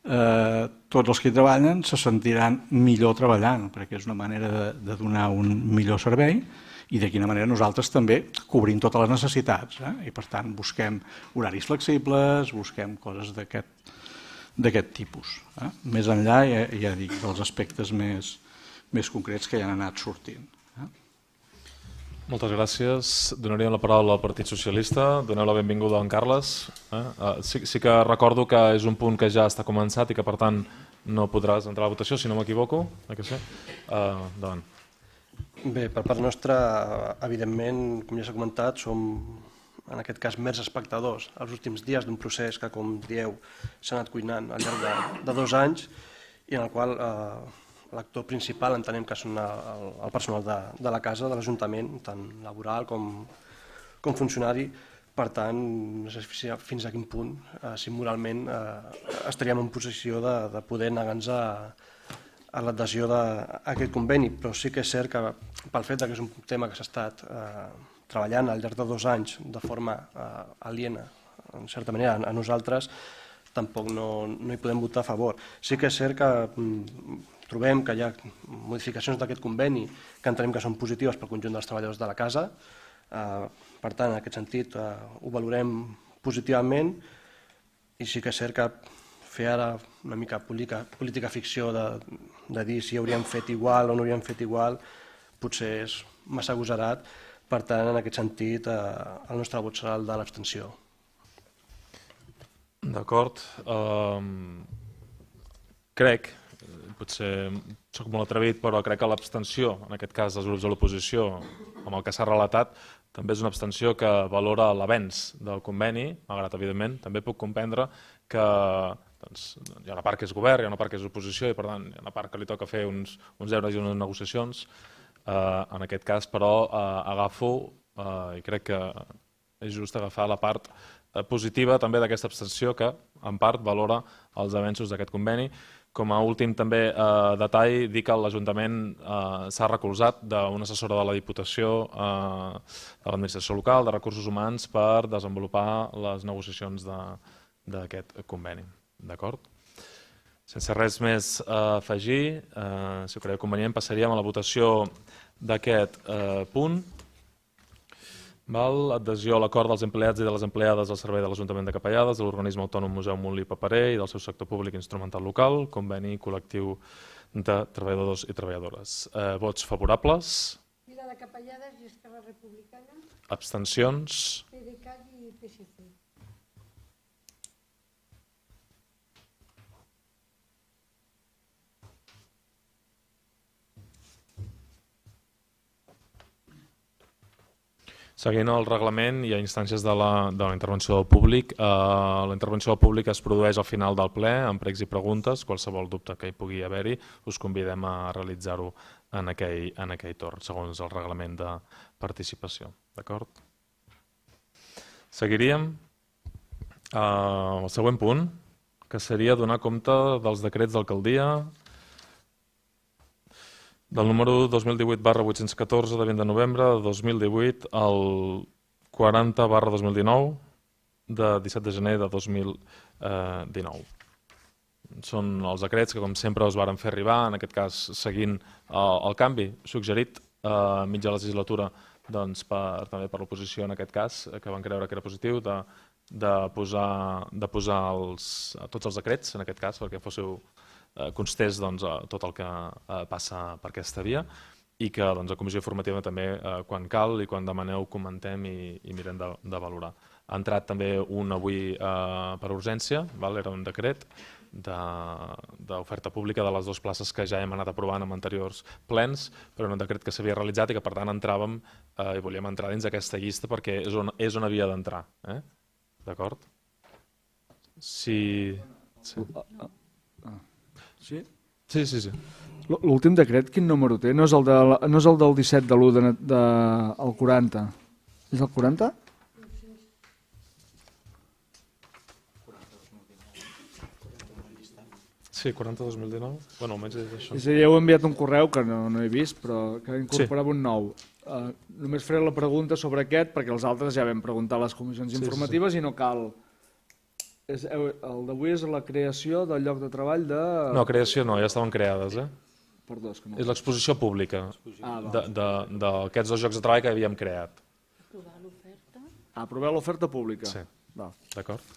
F: tots els que hi treballen se sentiran millor treballant, perquè és una manera de donar un millor servei, i de quina manera nosaltres també cobrim totes les necessitats. I per tant busquem horaris flexibles, busquem coses d'aquest tipus. Més enllà, ja dic, dels aspectes més concrets que ja han anat sortint.
A: Moltes gràcies. Donaríem la paraula al Partit Socialista. Doneu la benvinguda a en Carles. Sí que recordo que és un punt que ja està començat i que per tant no podràs entrar a la votació, si no m'equivoco. Endavant.
G: Bé, per part nostra, evidentment, com ja s'ha comentat, som en aquest cas mers espectadors els últims dies d'un procés que, com dieu, s'ha anat cuinant al llarg de 2 anys i en el qual l'actor principal entenem que són el personal de la casa, de l'Ajuntament, tant laboral com funcionari. Per tant, no sé fins a quin punt, si moralment estaríem en posició de poder negar-nos a l'adhesió d'aquest conveni, però sí que és cert que pel fet que és un tema que s'ha estat treballant al llarg de 2 anys de forma aliena, en certa manera, a nosaltres, tampoc no hi podem votar a favor. Sí que és cert que trobem que hi ha modificacions d'aquest conveni que entenem que són positives pel conjunt dels treballadors de la casa. Per tant, en aquest sentit, ho valorem positivament i sí que és cert que fer ara una mica política ficció de dir si hauríem fet igual o no hauríem fet igual potser és massa agosarat. Per tant, en aquest sentit, el nostre vot serà el de l'abstenció.
A: D'acord. Crec, potser soc molt atrevit, però crec que l'abstenció, en aquest cas dels grups de l'oposició, amb el que s'ha relatat, també és una abstenció que valora l'avenç del conveni, malgrat, evidentment, també puc comprendre que hi ha una part que és govern, hi ha una part que és oposició i, per tant, hi ha una part que li toca fer uns deures i unes negociacions. En aquest cas, però, agafo, i crec que és just agafar la part positiva també d'aquesta abstenció que, en part, valora els avenços d'aquest conveni. Com a últim també detall, dir que l'Ajuntament s'ha recolzat d'una assessora de la Diputació, de l'administració local, de recursos humans, per desenvolupar les negociacions d'aquest conveni. D'acord? Sense res més a afegir, si ho creieu convenient, passaríem a la votació d'aquest punt. Adhesió a l'acord dels empleats i de les empleades al servei de l'Ajuntament de Capellades, de l'Organisme Autònom Museu Montlí Paperer i del seu sector públic instrumental local, conveni col·lectiu de treballadors i treballadores. Vots favorables?
C: Vila de Capellades i Esquerra Republicana.
A: Abstencions?
C: PDeCAT i PSC.
A: Seguint el reglament i a instàncies de la intervenció del públic, la intervenció del públic es produeix al final del ple, amb pregs i preguntes. Qualsevol dubte que hi pugui haver-hi, us convidem a realitzar-ho en aquell torn, segons el reglament de participació. D'acord? Seguiríem al següent punt, que seria donar compte dels decrets d'alcaldia del número 2018/814 de 20 de novembre de 2018 al 40/2019 de 17 de gener de 2019. Són els decrets que, com sempre, us varen fer arribar, en aquest cas seguint el canvi suggerit a mitja legislatura també per l'oposició, en aquest cas, que van creure que era positiu, de posar tots els decrets, en aquest cas, perquè fóssiu constés tot el que passa per aquesta via i que a comissió informativa també, quan cal i quan demaneu, comentem i mirem de valorar. Ha entrat també un avui per urgència, era un decret d'oferta pública de les 2 places que ja hem anat aprovant en anteriors plens, però un decret que s'havia realitzat i que per tant entràvem i volíem entrar dins d'aquesta llista perquè és on havia d'entrar. D'acord? Sí.
B: Sí?
A: Sí.
B: L'últim decret, quin número té? No és el del 17 de l'1 del 40. És el 40?
A: Sí, 40/2019. Bueno, almenys és això.
B: És a dir, heu enviat un correu que no he vist, però que incorporava un nou. Només faré la pregunta sobre aquest, perquè els altres ja vam preguntar a les comissions informatives i no cal... El d'avui és la creació del lloc de treball de...
A: No, creació no, ja estaven creades.
B: Perdó, és que no...
A: És l'exposició pública d'aquests 2 llocs de treball que havíem creat.
C: Aprovar l'oferta.
B: Aprovar l'oferta pública.
A: Sí, d'acord.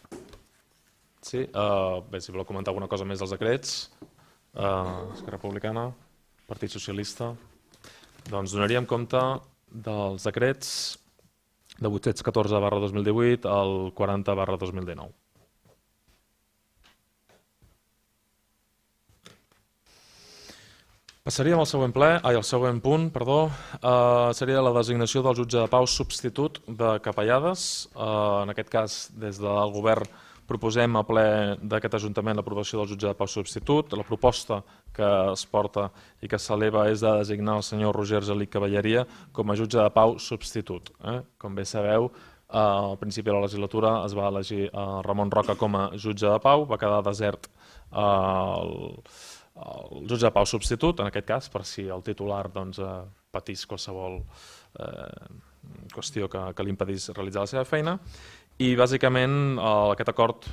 A: Sí, bé, si voleu comentar alguna cosa més dels decrets, Esquerra Republicana, Partit Socialista, doncs donaríem compte dels decrets de 814/2018 al 40/2019. Passaríem al següent punt, seria la designació del jutge de pau substitut de Capellades. En aquest cas, des del govern proposem a ple d'aquest Ajuntament l'aprovació del jutge de pau substitut. La proposta que es porta i que s'eleva és de designar el senyor Roger Gelic Cavalleria com a jutge de pau substitut. Com bé sabeu, al principi de la legislatura es va elegir Ramon Roca com a jutge de pau, va quedar desert el jutge de pau substitut, en aquest cas, per si el titular patís qualsevol qüestió que li impedís realitzar la seva feina. I bàsicament aquest acord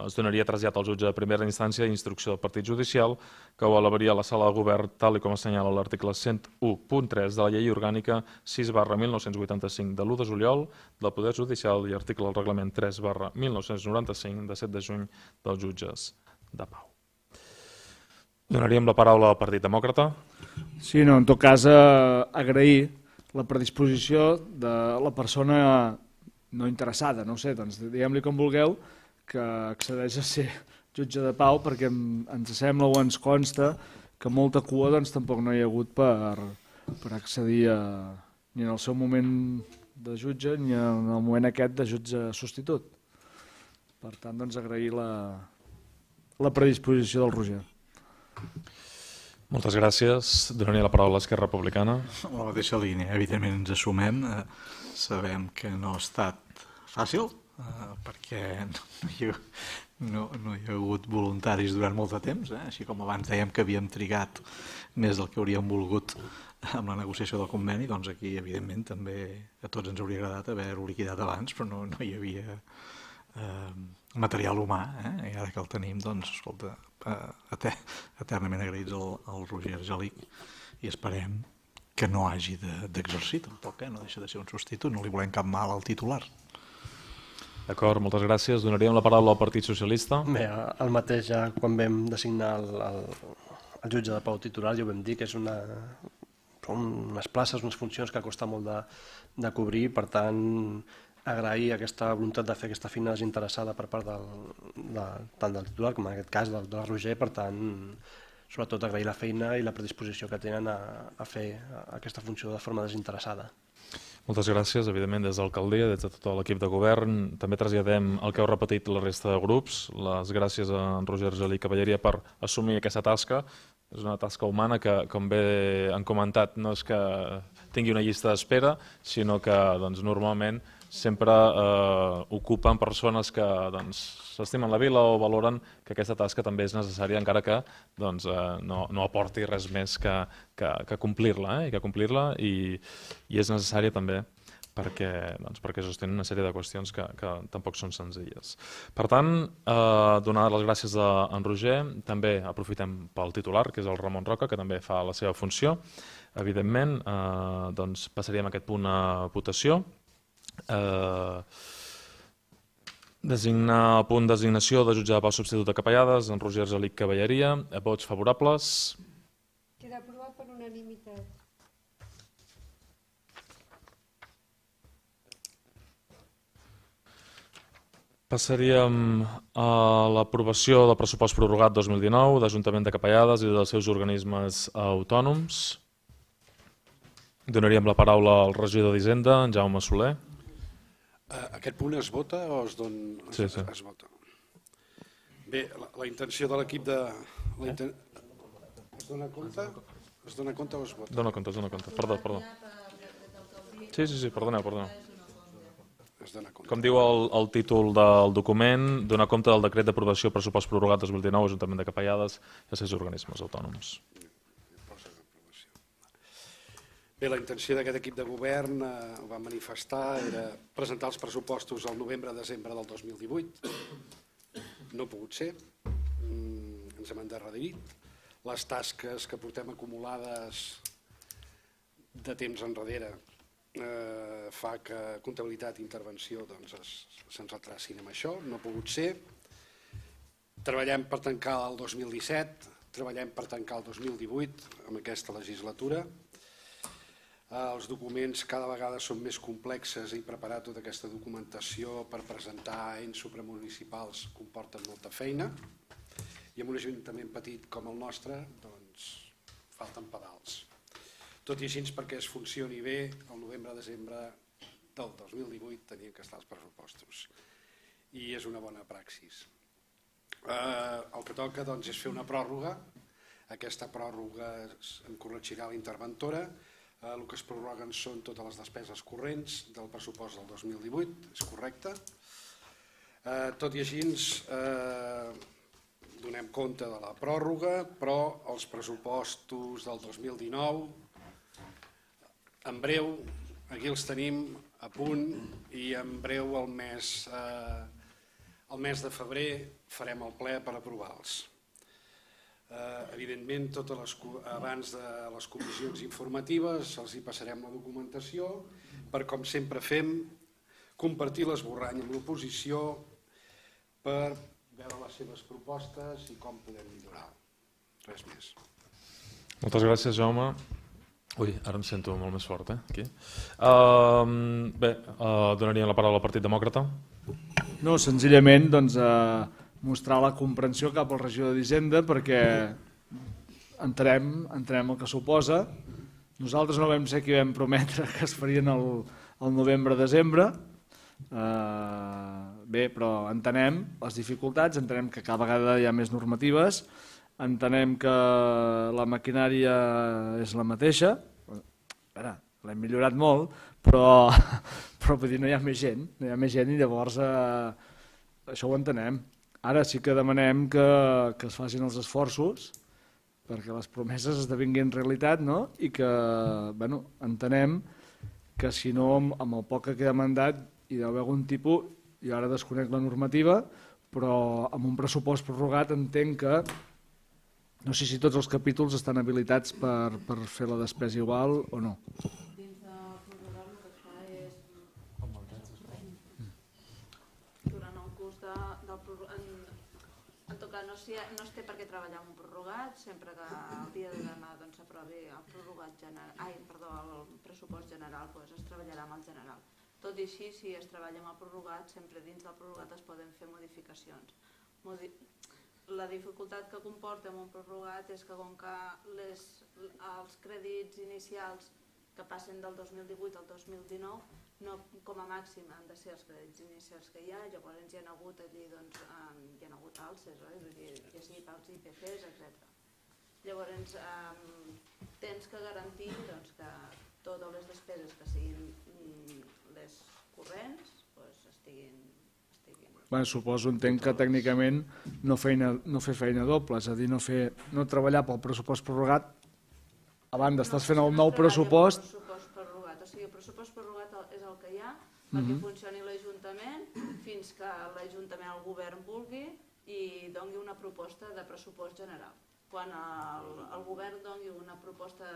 A: es donaria trasllat al jutge de primera instància d'instrucció del partit judicial, que ho elevaria a la sala de govern tal com assenyala l'article 101.3 de la llei orgànica 6/1985 de l'1 de juliol del Poder Judicial i article del reglament 3/1995 de 7 de juny dels jutges de pau. Donaríem la paraula al Partit Demòcrata.
B: Sí, no, en tot cas agrair la predisposició de la persona no interessada, no sé, doncs diguem-li com vulgueu, que accedeix a ser jutge de pau, perquè ens sembla o ens consta que molta cua doncs, tampoc no hi ha hagut per accedir ni en el seu moment de jutge ni en el moment aquest de jutge substitut. Per tant, doncs, agrair la predisposició del Roger.
A: Moltes gràcies. Donaria la paraula a l'Esquerra Republicana.
F: A la mateixa línia, evidentment ens assumem. Sabem que no ha estat fàcil, perquè no hi ha hagut voluntaris durant molt de temps, així com abans dèiem que havíem trigat més del que hauríem volgut amb la negociació del conveni, doncs aquí evidentment també a tots ens hauria agradat haver-ho liquidat abans, però no hi havia material humà, i ara que el tenim, doncs, escolta, eternament agraïts al Roger Argelic i esperem que no hagi d'exercir tampoc, no deixa de ser un substitut, no li volem cap mal al titular.
A: D'acord, moltes gràcies. Donaríem la paraula al Partit Socialista.
G: Bé, el mateix ja quan vam designar el jutge de pau titular ja ho vam dir que són unes places, unes funcions que costa molt de cobrir, per tant agrair aquesta voluntat de fer aquesta feina desinteressada per part tant del titular com en aquest cas del Roger, per tant sobretot agrair la feina i la predisposició que tenen a fer aquesta funció de forma desinteressada.
A: Moltes gràcies, evidentment, des de l'alcaldia, des de tot l'equip de govern. També traslladem el que heu repetit la resta de grups, les gràcies a en Roger Argelic Cavalleria per assumir aquesta tasca. És una tasca humana que, com bé han comentat, no és que tingui una llista d'espera, sinó que normalment sempre ocupen persones que s'estimen la vila o valoren que aquesta tasca també és necessària, encara que no aporti res més que complir-la, i és necessària també perquè sostenen una sèrie de qüestions que tampoc són senzilles. Per tant, donar les gràcies a en Roger, també aprofitem pel titular, que és el Ramon Roca, que també fa la seva funció. Evidentment, passaríem aquest punt a votació. Designar el punt designació de jutge de pau substitut de Capellades, en Roger Argelic Cavalleria. Vots favorables?
C: Queda aprovat per unanimitat.
A: Passaríem a l'aprovació del pressupost prorrogat 2019 d'Ajuntament de Capellades i dels seus organismes autònoms. Donaríem la paraula al regidor d'Hisenda, en Jaume Soler.
H: Aquest punt es vota o es dona?
A: Sí.
H: Es vota. Bé, la intenció de l'equip de... Es dona compte? Es dona compte o es vota?
A: Dona compte. Perdó. Sí, perdoneu.
H: Es dona compte.
A: Com diu el títol del document, donar compte del decret d'aprovació pressupost prorrogat 2019 Ajuntament de Capellades i els seus organismes autònoms.
H: Bé, la intenció d'aquest equip de govern, ho va manifestar, era presentar els pressupostos al novembre-desembre del 2018. No ha pogut ser, ens hem endarrerit. Les tasques que portem acumulades de temps enrere fa que comptabilitat i intervenció se'ns retracin amb això, no ha pogut ser. Treballem per tancar el 2017, treballem per tancar el 2018 amb aquesta legislatura. Els documents cada vegada són més complexes i preparar tota aquesta documentació per presentar ens supramunicipals comporta molta feina i en un ajuntament petit com el nostre falten pedals. Tot i així, perquè es funcioni bé, el novembre-desembre del 2018 tenien que estar els pressupostos i és una bona praxis. El que toca és fer una pròrroga. Aquesta pròrroga en corregirà la interventora. El que es prorroguen són totes les despeses corrents del pressupost del 2018, és correcte. Tot i així, donem compte de la pròrroga, però els pressupostos del 2019, en breu, aquí els tenim a punt i en breu el mes de febrer farem el ple per aprovar-los. Evidentment, abans de les comissions informatives els hi passarem la documentació per, com sempre fem, compartir l'esborrany amb l'oposició per veure les seves propostes i com podem millorar. Res més.
A: Moltes gràcies, Jaume. Ui, ara em sento molt més fort, aquí. Bé, donaria la paraula al Partit Demòcrata.
B: No, senzillament mostrar la comprensió cap al regidor d'Hisenda perquè entenem el que suposa. Nosaltres no vam ser qui vam prometre que es farien el novembre-desembre. Bé, però entenem les dificultats, entenem que cada vegada hi ha més normatives, entenem que la maquinària és la mateixa, l'hem millorat molt, però no hi ha més gent, i llavors això ho entenem. Ara sí que demanem que es facin els esforços perquè les promeses esdevinguin realitat, i que entenem que si no, amb el poc que queda mandat, hi deu haver algun tipus, jo ara desconec la normativa, però amb un pressupost prorrogat entenc que no sé si tots els capítols estan habilitats per fer la despesa igual o no.
I: Dins de prorrogar el que es fa és... Durant el curs del prorrogat... En tot cas, no es té per què treballar amb un prorrogat, sempre que el dia de demà s'aprovi el pressupost general, es treballarà amb el general. Tot i així, si es treballa amb el prorrogat, sempre dins del prorrogat es poden fer modificacions. La dificultat que comporta amb un prorrogat és que com que els crèdits inicials que passen del 2018 al 2019 com a màxim han de ser els crèdits inicials que hi ha, llavors hi ha hagut alces, ja sigui pels IPCs, etc. Llavors tens que garantir que totes les despeses que siguin les corrents estiguin...
B: Suposo, entenc que tècnicament no fer feina doble, és a dir, no treballar pel pressupost prorrogat abans d'estàs fent el nou pressupost.
I: O sigui, el pressupost prorrogat és el que hi ha perquè funcioni l'Ajuntament fins que l'Ajuntament, el govern, vulgui i doni una proposta de pressupost general. Quan el govern doni una proposta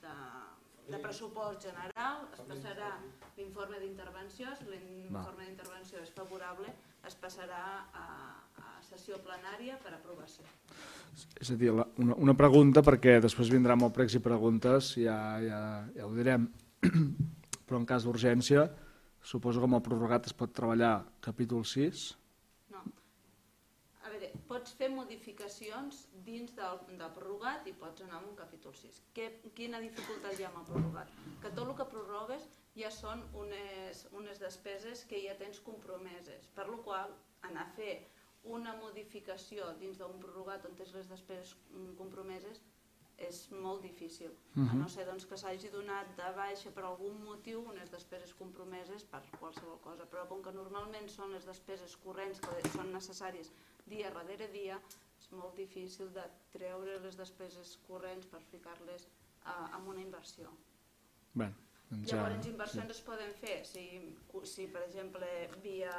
I: de pressupost general, es passarà l'informe d'intervenció, si l'informe d'intervenció és favorable, es passarà a sessió plenària per aprovació.
B: És a dir, una pregunta, perquè després vindrà molt pregs i preguntes, ja ho direm, però en cas d'urgència, suposo que amb el prorrogat es pot treballar capítol 6?
I: No. A veure, pots fer modificacions dins del prorrogat i pots anar a un capítol 6. Quina dificultat hi ha amb el prorrogat? Que tot el que prorrogues ja són unes despeses que ja tens compromeses, per la qual anar a fer una modificació dins d'un prorrogat on tens les despeses compromeses és molt difícil, a no ser que s'hagi donat de baixa per algun motiu unes despeses compromeses per qualsevol cosa, però com que normalment són les despeses corrents que són necessàries dia darrere dia, és molt difícil de treure les despeses corrents per ficar-les en una inversió. Llavors, inversions es poden fer si, per exemple, via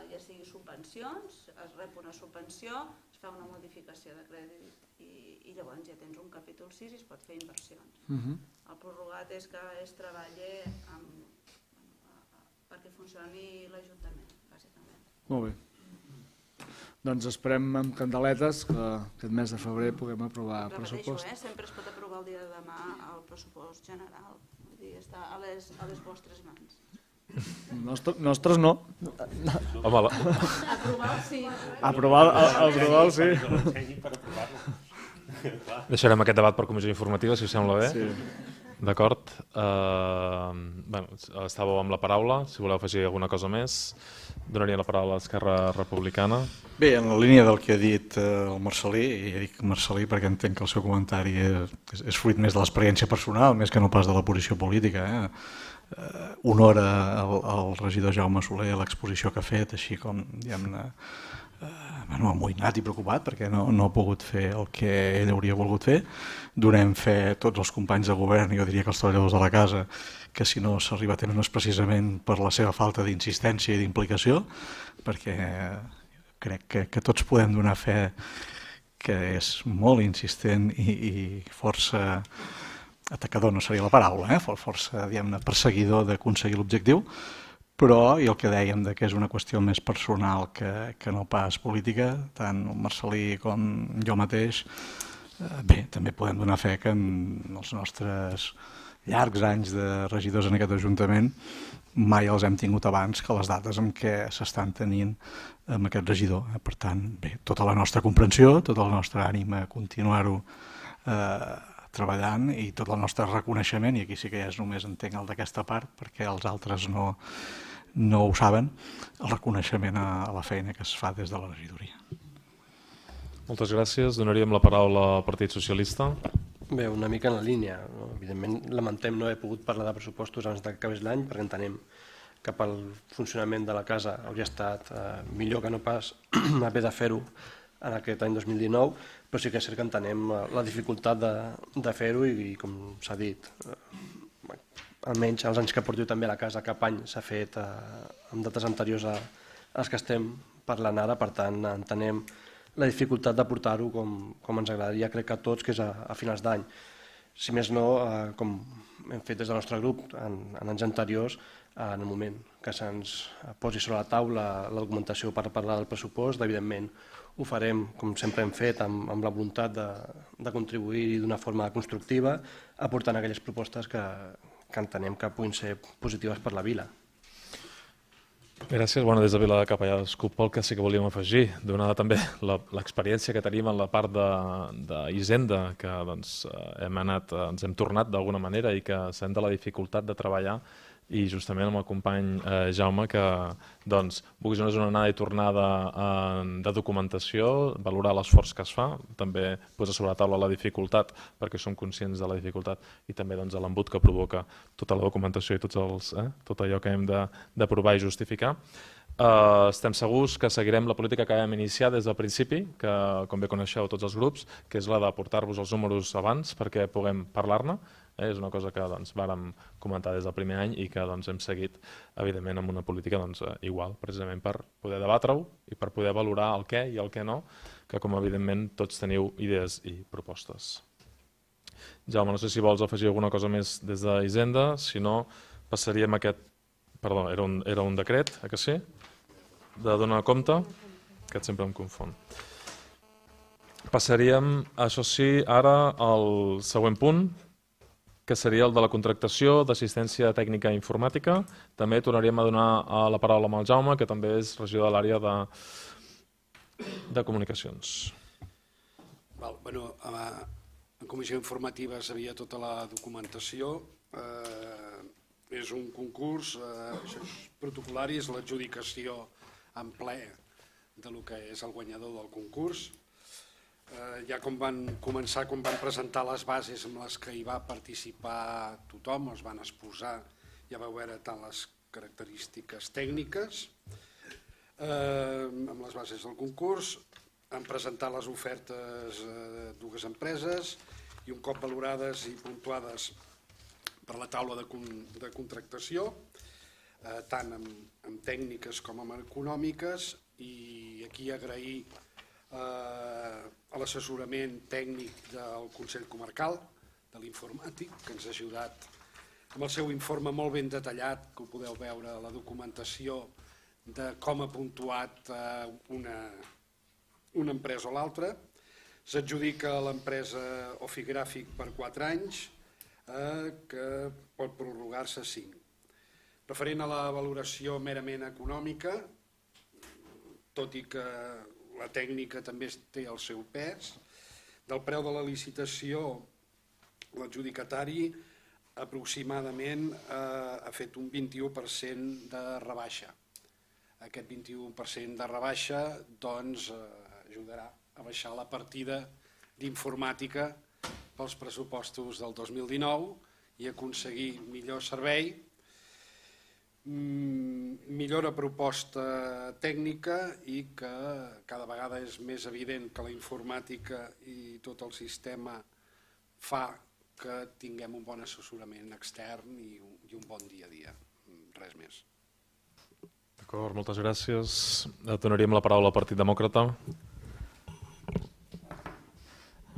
I: ja sigui subvencions, es rep una subvenció, es fa una modificació de crèdit i llavors ja tens un capítol 6 i es pot fer inversions. El prorrogat és que es treballi perquè funcioni l'Ajuntament, bàsicament.
B: Molt bé. Doncs esperem amb candeletes que aquest mes de febrer puguem aprovar el pressupost.
I: Repeteixo, sempre es pot aprovar el dia de demà el pressupost general. Vull dir, està a les vostres mans.
B: Nostres no.
I: Aprovar el sí.
B: Aprovar el sí.
A: Deixarem aquest debat per comissió informativa, si us sembla bé.
B: Sí.
A: D'acord. Estàveu amb la paraula, si voleu afegir alguna cosa més. Donaria la paraula a l'Esquerra Republicana.
F: Bé, en la línia del que ha dit el Marcel·lí, i ja dic Marcel·lí perquè entenc que el seu comentari és fruit més de l'experiència personal, més que no pas de la posició política. Honora al regidor Jaume Soler l'exposició que ha fet, així com, diguem-ne, amoïnat i preocupat perquè no ha pogut fer el que ell hauria volgut fer. Donem fe tots els companys de govern, jo diria que els treballadors de la casa, que si no s'arriba a tenir no és precisament per la seva falta d'insistència i d'implicació, perquè crec que tots podem donar fe que és molt insistent i força atacador, no seria la paraula, força perseguidor d'aconseguir l'objectiu, però, i el que dèiem que és una qüestió més personal que no pas política, tant el Marcelí com jo mateix, bé, també podem donar fe que en els nostres llargs anys de regidors en aquest Ajuntament mai els hem tingut abans que les dates en què s'estan tenint amb aquest regidor. Per tant, bé, tota la nostra comprensió, tot el nostre ànim a continuar-ho treballant i tot el nostre reconeixement, i aquí sí que ja és només entenc el d'aquesta part, perquè els altres no ho saben, el reconeixement a la feina que es fa des de la regidoria.
A: Moltes gràcies. Donaríem la paraula al Partit Socialista.
G: Bé, una mica en la línia. Evidentment, lamentem no haver pogut parlar de pressupostos abans que acabés l'any, perquè entenem que pel funcionament de la casa hauria estat millor que no pas haver de fer-ho en aquest any 2019, però sí que és cert que entenem la dificultat de fer-ho i, com s'ha dit, almenys els anys que porto també a la casa, cap any s'ha fet amb dates anteriors a les que estem parlant ara, per tant entenem la dificultat de portar-ho com ens agradaria, crec que a tots, que és a finals d'any. Si més no, com hem fet des del nostre grup en anys anteriors, en el moment que se'ns posi sobre la taula la documentació per parlar del pressupost, evidentment ho farem, com sempre hem fet, amb la voluntat de contribuir d'una forma constructiva, aportant aquelles propostes que entenem que puguin ser positives per la vila.
A: Gràcies. Des de Vila de Capellà pel que sí que volíem afegir, donada també l'experiència que tenim en la part d'Hisenda, que ens hem tornat d'alguna manera i que sent de la dificultat de treballar, i justament amb el company Jaume, que vulguis una anada i tornada de documentació, valorar l'esforç que es fa, també posa sobre la taula la dificultat, perquè som conscients de la dificultat, i també l'embut que provoca tota la documentació i tot allò que hem d'aprovar i justificar. Estem segurs que seguirem la política que vam iniciar des del principi, que com bé coneixeu tots els grups, que és la de portar-vos els números abans perquè puguem parlar-ne. És una cosa que vàrem comentar des del primer any i que hem seguit, evidentment, amb una política igual, precisament per poder debatre-ho i per poder valorar el què i el què no, que com evidentment tots teniu idees i propostes. Jaume, no sé si vols afegir alguna cosa més des d'Hisenda, si no passaríem a aquest... Perdó, era un decret, que sí? De donar compte, que sempre em confon. Passaríem, això sí, ara al següent punt, que seria el de la contractació d'assistència tècnica informàtica. També tornaríem a donar la paraula amb el Jaume, que també és regidor de l'àrea de comunicacions.
H: En comissió informativa sabia tota la documentació. És un concurs protocolari, és l'adjudicació en ple del que és el guanyador del concurs. Ja com van començar, com van presentar les bases amb les que hi va participar tothom, es van exposar, ja vau veure tant les característiques tècniques amb les bases del concurs, han presentat les ofertes dues empreses i un cop valorades i puntuades per la taula de contractació, tant amb tècniques com amb econòmiques, i aquí agrair a l'assessorament tècnic del Consell Comarcal, de l'informàtic, que ens ha ajudat amb el seu informe molt ben detallat, que ho podeu veure a la documentació, de com ha puntuat una empresa o l'altra. S'adjudica a l'empresa Ofigràfic per 4 anys, que pot prorrogar-se 5. Referent a la valoració merament econòmica, tot i que la tècnica també té el seu pes, del preu de la licitació, l'adjudicatari aproximadament ha fet un 21% de rebaixa. Aquest 21% de rebaixa ajudarà a baixar la partida d'informàtica pels pressupostos del 2019 i aconseguir millor servei, millora proposta tècnica i que cada vegada és més evident que la informàtica i tot el sistema fa que tinguem un bon assessorament extern i un bon dia a dia. Res més.
A: D'acord, moltes gràcies. Donaríem la paraula al Partit Demòcrata.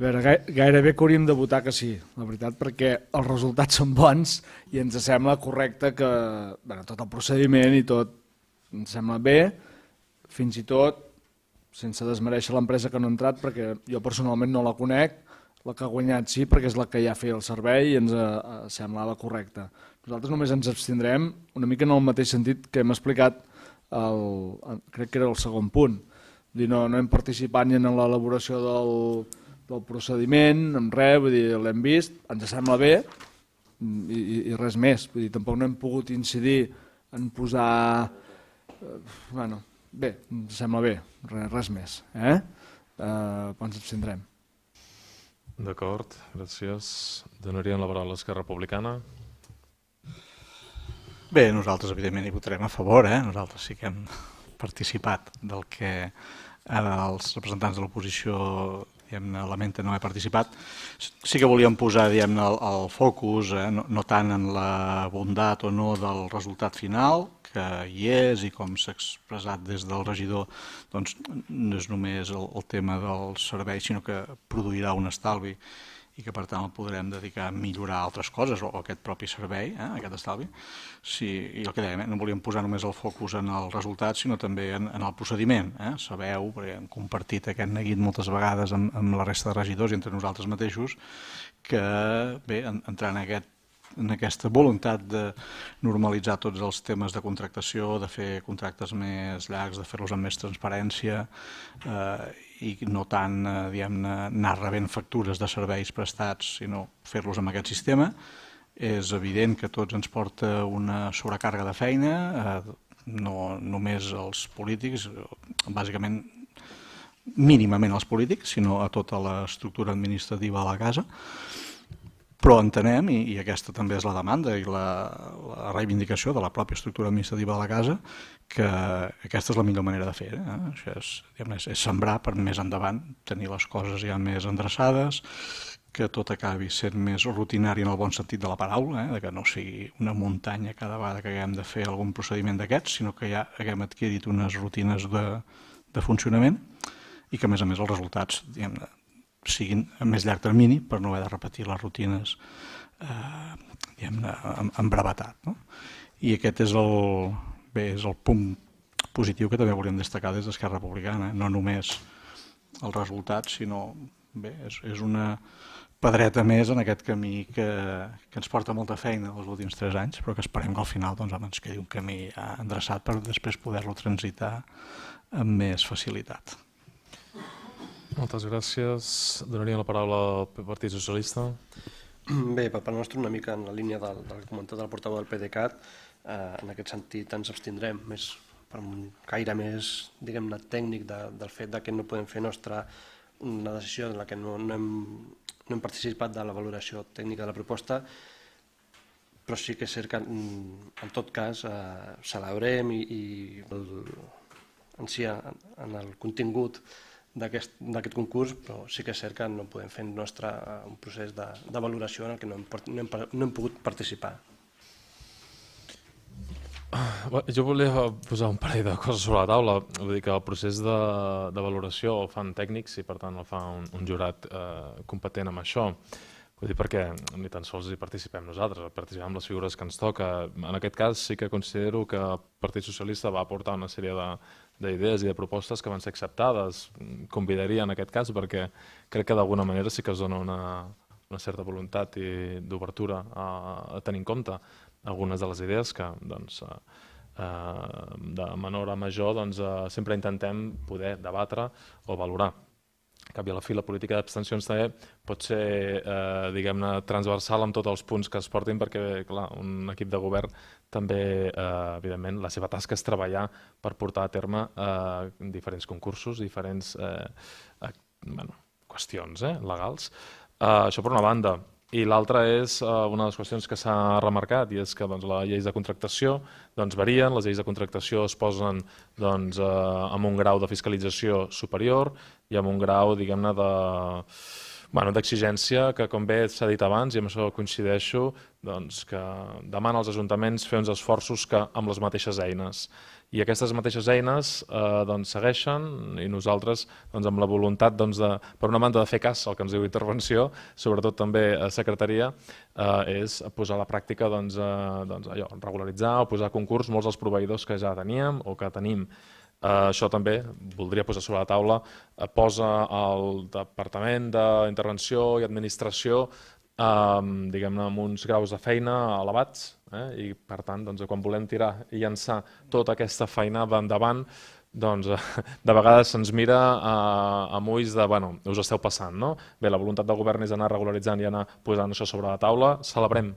B: A veure, gairebé que hauríem de votar que sí, la veritat, perquè els resultats són bons i ens sembla correcte que tot el procediment i tot ens sembla bé, fins i tot sense desmereixer l'empresa que no ha entrat, perquè jo personalment no la conec, la que ha guanyat sí, perquè és la que ja feia el servei i ens semblava correcta. Nosaltres només ens abstindrem una mica en el mateix sentit que hem explicat, crec que era el segon punt. No hem participat ni en l'elaboració del procediment, en res, vull dir, l'hem vist, ens sembla bé i res més. Vull dir, tampoc no hem pogut incidir en posar... Bueno, bé, ens sembla bé, res més. Però ens abstindrem.
A: D'acord, gràcies. Donaríem la paraula a l'Esquerra Republicana.
F: Bé, nosaltres evidentment hi votarem a favor, nosaltres sí que hem participat del que ara els representants de l'oposició lamenten no haver participat. Sí que volíem posar el focus no tant en la bondat o no del resultat final, que hi és i com s'ha expressat des del regidor, doncs no és només el tema del servei, sinó que produirà un estalvi i que per tant el podrem dedicar a millorar altres coses o aquest propi servei, aquest estalvi. I el que dèiem, no volíem posar només el focus en el resultat, sinó també en el procediment. Sabeu, perquè hem compartit aquest neguit moltes vegades amb la resta de regidors i entre nosaltres mateixos, que bé, entrant en aquesta voluntat de normalitzar tots els temes de contractació, de fer contractes més llargs, de fer-los amb més transparència i no tant anar rebent factures de serveis prestats, sinó fer-los amb aquest sistema. És evident que tots ens porta una sobrecàrrega de feina, no només els polítics, bàsicament mínimament els polítics, sinó a tota l'estructura administrativa de la casa. Però entenem, i aquesta també és la demanda i la reivindicació de la pròpia estructura administrativa de la casa, que aquesta és la millor manera de fer. Això és sembrar per més endavant, tenir les coses ja més endreçades, que tot acabi sent més rutinari en el bon sentit de la paraula, que no sigui una muntanya cada vegada que haguem de fer algun procediment d'aquests, sinó que ja haguem adquirit unes rutines de funcionament i que a més els resultats siguin a més llarg termini per no haver de repetir les rutines amb brevetat. I aquest és el punt positiu que també volíem destacar des d'Esquerra Republicana, no només els resultats, sinó és una pedreta més en aquest camí que ens porta molta feina els últims 3 anys, però que esperem que al final ens quedi un camí endreçat per després poder-lo transitar amb més facilitat.
A: Moltes gràcies. Donaria la paraula al Partit Socialista.
G: Bé, per part nostra, una mica en la línia del que ha comentat el portaveu del PDeCAT, en aquest sentit ens abstindrem per un caire més, diguem-ne, tècnic del fet que no podem fer nostra una decisió en la que no hem participat de la valoració tècnica de la proposta, però sí que és cert que en tot cas celebrem i en el contingut d'aquest concurs, però sí que és cert que no podem fer nostre un procés de valoració en el que no hem pogut participar.
A: Jo volia posar un parell de coses sobre la taula. Vull dir que el procés de valoració el fan tècnics i per tant el fa un jurat competent amb això. Vull dir perquè ni tan sols hi participem nosaltres, participem amb les figures que ens toca. En aquest cas sí que considero que el Partit Socialista va aportar una sèrie d'idees i de propostes que van ser acceptades. Convidaria en aquest cas perquè crec que d'alguna manera sí que es dona una certa voluntat d'obertura a tenir en compte algunes de les idees que de menor a major sempre intentem poder debatre o valorar. En canvi, a la fi, la política d'abstencions també pot ser, diguem-ne, transversal amb tots els punts que es portin perquè, clar, un equip de govern també, evidentment, la seva tasca és treballar per portar a terme diferents concursos, diferents qüestions legals. Això per una banda. I l'altra és una de les qüestions que s'ha remarcat, i és que les lleis de contractació varien, les lleis de contractació es posen amb un grau de fiscalització superior i amb un grau, diguem-ne, d'exigència que, com bé s'ha dit abans, i amb això coincideixo, que demana als ajuntaments fer uns esforços amb les mateixes eines. I aquestes mateixes eines segueixen, i nosaltres, amb la voluntat, per una banda, de fer cas al que ens diu intervenció, sobretot també a secretaria, és posar a la pràctica, regularitzar o posar a concurs molts dels proveïdors que ja teníem o que tenim. Això també voldria posar sobre la taula, posa el Departament d'Intervenció i Administració diguem-ne, amb uns graus de feina elevats, i per tant, quan volem tirar i llançar tota aquesta feina endavant, de vegades se'ns mira amb ulls de, bueno, us esteu passant, no? Bé, la voluntat del govern és anar regularitzant i anar posant això sobre la taula. Celebrem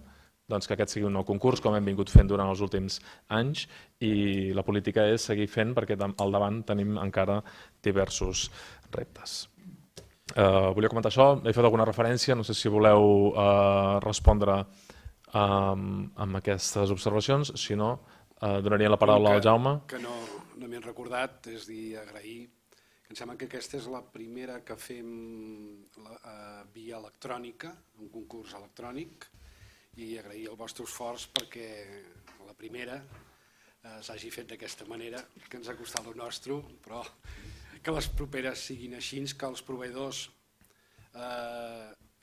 A: que aquest sigui un nou concurs, com hem vingut fent durant els últims anys, i la política és seguir fent perquè al davant tenim encara diversos reptes. Volia comentar això, he fet alguna referència, no sé si voleu respondre amb aquestes observacions, si no, donaria la paraula al Jaume.
H: Que no m'he recordat, és dir, agrair, que em sembla que aquesta és la primera que fem via electrònica, un concurs electrònic, i agrair el vostre esforç perquè la primera s'hagi fet d'aquesta manera, que ens ha costat el nostre, però que les properes siguin així, que els proveïdors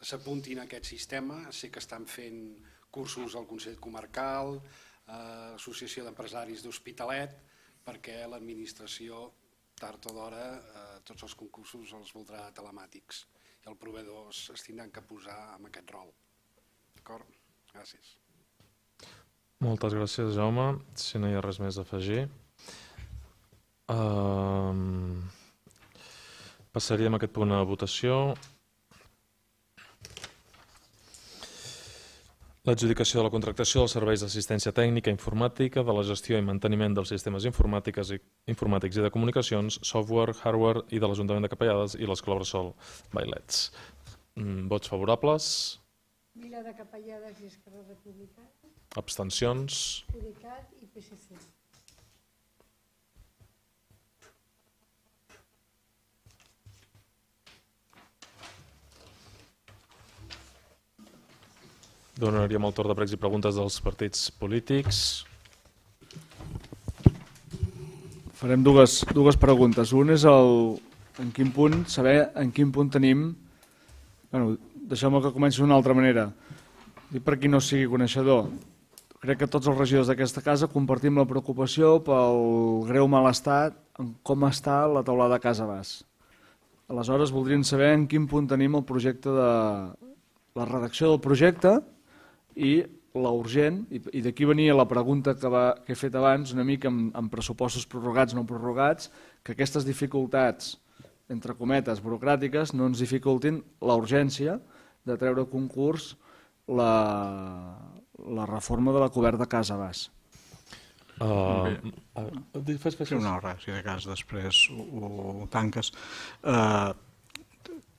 H: s'apuntin a aquest sistema. Sé que estan fent cursos al Consell Comarcal, l'Associació d'Empresaris d'Hospitalet, perquè l'administració, tard o d'hora, tots els concursos els voldrà telemàtics i els proveïdors es tindran que posar en aquest rol. D'acord? Gràcies.
A: Moltes gràcies, Jaume. Si no hi ha res més a afegir. Passaríem aquest punt a votació. L'adjudicació de la contractació dels serveis d'assistència tècnica informàtica, de la gestió i manteniment dels sistemes informàtics i de comunicacions, software, hardware i de l'Ajuntament de Capellades i l'Escola Bressol Bailets. Vots favorables?
C: Vila de Capellades i Esquerra Republicana.
A: Abstencions?
C: UDeCAT i PSC.
A: Donaríem el torn de pregs i preguntes dels partits polítics.
B: Farem dues preguntes. Un és saber en quin punt tenim... Deixeu-me que comenci d'una altra manera. I per qui no sigui coneixedor, crec que tots els regidors d'aquesta casa compartim la preocupació pel greu malestar en com està la teulada a Casa Bas. Aleshores, voldríem saber en quin punt tenim el projecte de la redacció del projecte i la urgent, i d'aquí venia la pregunta que he fet abans, una mica amb pressupostos prorrogats, no prorrogats, que aquestes dificultats, entre cometes, burocràtiques, no ens dificultin la urgència de treure a concurs la reforma de la coberta de Casa Bas.
F: Fes una hora, si de cas després ho tanques.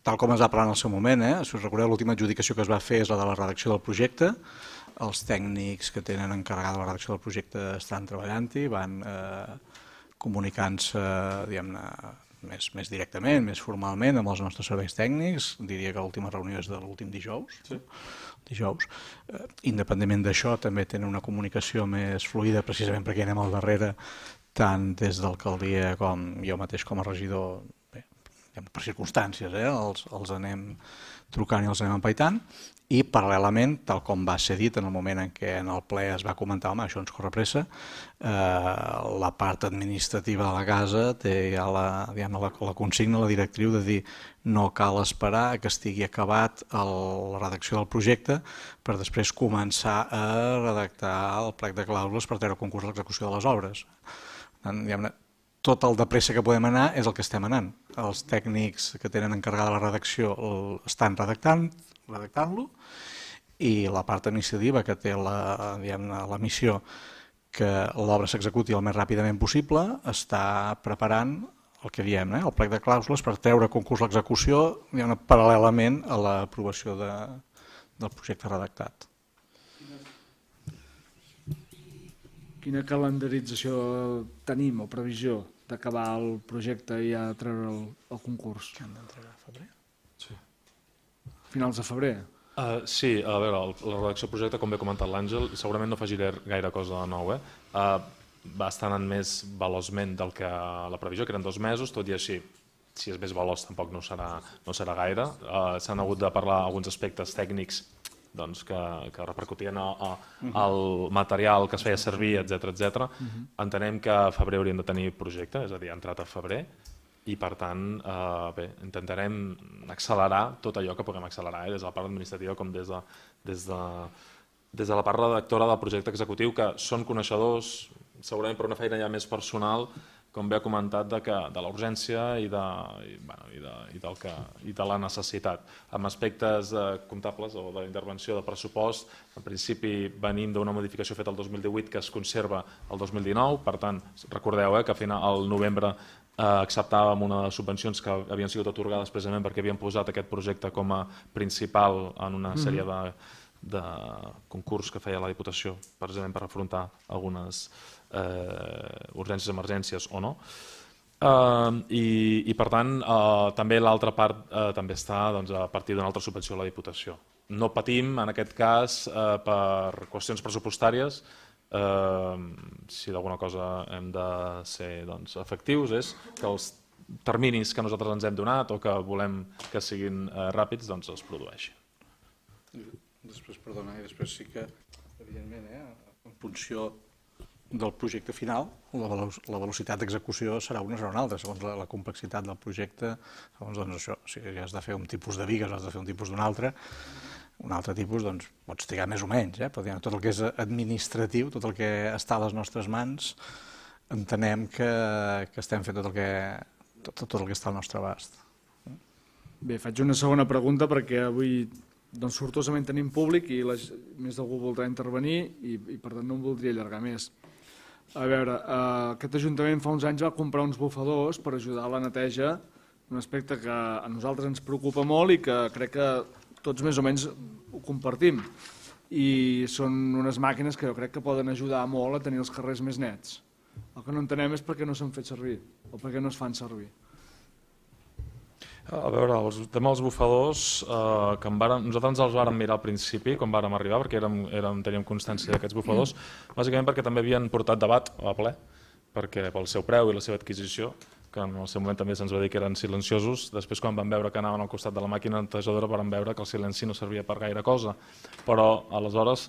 F: Tal com es va parlar en el seu moment, si us recordeu, l'última adjudicació que es va fer és la de la redacció del projecte. Els tècnics que tenen encarregada la redacció del projecte estan treballant-hi, van comunicant-se, diguem-ne, més directament, més formalment amb els nostres serveis tècnics. Diria que l'última reunió és de l'últim dijous. Independentment d'això, també tenen una comunicació més fluida, precisament perquè anem al darrere, tant des d'alcaldia com jo mateix com a regidor, per circumstàncies, els anem trucant i els anem empaitant, i paral·lelament, tal com va ser dit en el moment en què en el ple es va comentar, home, això ens corre pressa, la part administrativa de la casa té ja la consigna, la directriu de dir no cal esperar que estigui acabat la redacció del projecte per després començar a redactar el plec de clàusules per treure concurs a l'execució de les obres. Tot el de pressa que podem anar és el que estem anant. Els tècnics que tenen encarregada la redacció estan redactant-lo i la part administrativa que té la missió que l'obra s'executi el més ràpidament possible està preparant el que diem, el plec de clàusules per treure a concurs l'execució paral·lelament a l'aprovació projecte redactat.
B: Quina calendarització tenim o previsió d'acabar el projecte i ja treure el concurs?
F: Que han d'entregar a febrer?
A: Sí.
B: Finals de febrer?
A: Sí, a veure, la redacció del projecte, com bé ha comentat l'Àngel, segurament no afegiré gaire cosa de nou. Va estar anant més veloçment del que la previsió, que eren 2 mesos, tot i així, si és més veloç tampoc no serà gaire. S'han hagut de parlar alguns aspectes tècnics que repercutien al material que es feia servir, etc. Entenem que a febrer hauríem de tenir projecte, és a dir, ha entrat a febrer, i per tant intentarem accelerar tot allò que puguem accelerar, des de la part administrativa com des de la part redactora del projecte executiu, que són coneixedors, segurament per una feina ja més personal, com bé ha comentat, de la urgència i de la necessitat. Amb aspectes comptables o d'intervenció de pressupost, en principi venim d'una modificació feta el 2018 que es conserva el 2019, per tant, recordeu que al novembre acceptàvem unes subvencions que havien sigut atorgades precisament perquè havien posat aquest projecte com a principal en una sèrie de concurs que feia la Diputació, precisament per afrontar algunes urgències, emergències o no. I per tant, també l'altra part també està a partir d'una altra subvenció a la Diputació. No patim, en aquest cas, per qüestions pressupostàries. Si d'alguna cosa hem de ser efectius és que els terminis que nosaltres ens hem donat o que volem que siguin ràpids es produeixin.
F: Després sí que, evidentment, en funció del projecte final, la velocitat d'execució serà una o una altra, segons la complexitat del projecte. Segons això, si has de fer un tipus de bigues, has de fer un tipus d'un altre tipus, pots trigar més o menys, però tot el que és administratiu, tot el que està a les nostres mans, entenem que estem fent tot el que està al nostre abast.
B: Bé, faig una segona pregunta perquè avui sortosament tenim públic i més d'algú voldrà intervenir i per tant no em voldria allargar més. A veure, aquest Ajuntament fa uns anys va comprar uns bufadors per ajudar a la neteja, un aspecte que a nosaltres ens preocupa molt i que crec que tots més o menys ho compartim. I són unes màquines que jo crec que poden ajudar molt a tenir els carrers més nets. El que no entenem és per què no s'han fet servir o per què no es fan servir.
A: A veure, el tema dels bufadors, nosaltres ens els vàrem mirar al principi, quan vàrem arribar, perquè teníem constància d'aquests bufadors, bàsicament perquè també havien portat debat a ple, perquè pel seu preu i la seva adquisició, que en el seu moment també se'ns va dir que eren silenciosos, després quan vam veure que anaven al costat de la màquina netejadora vam veure que el silenci no servia per gaire cosa, però aleshores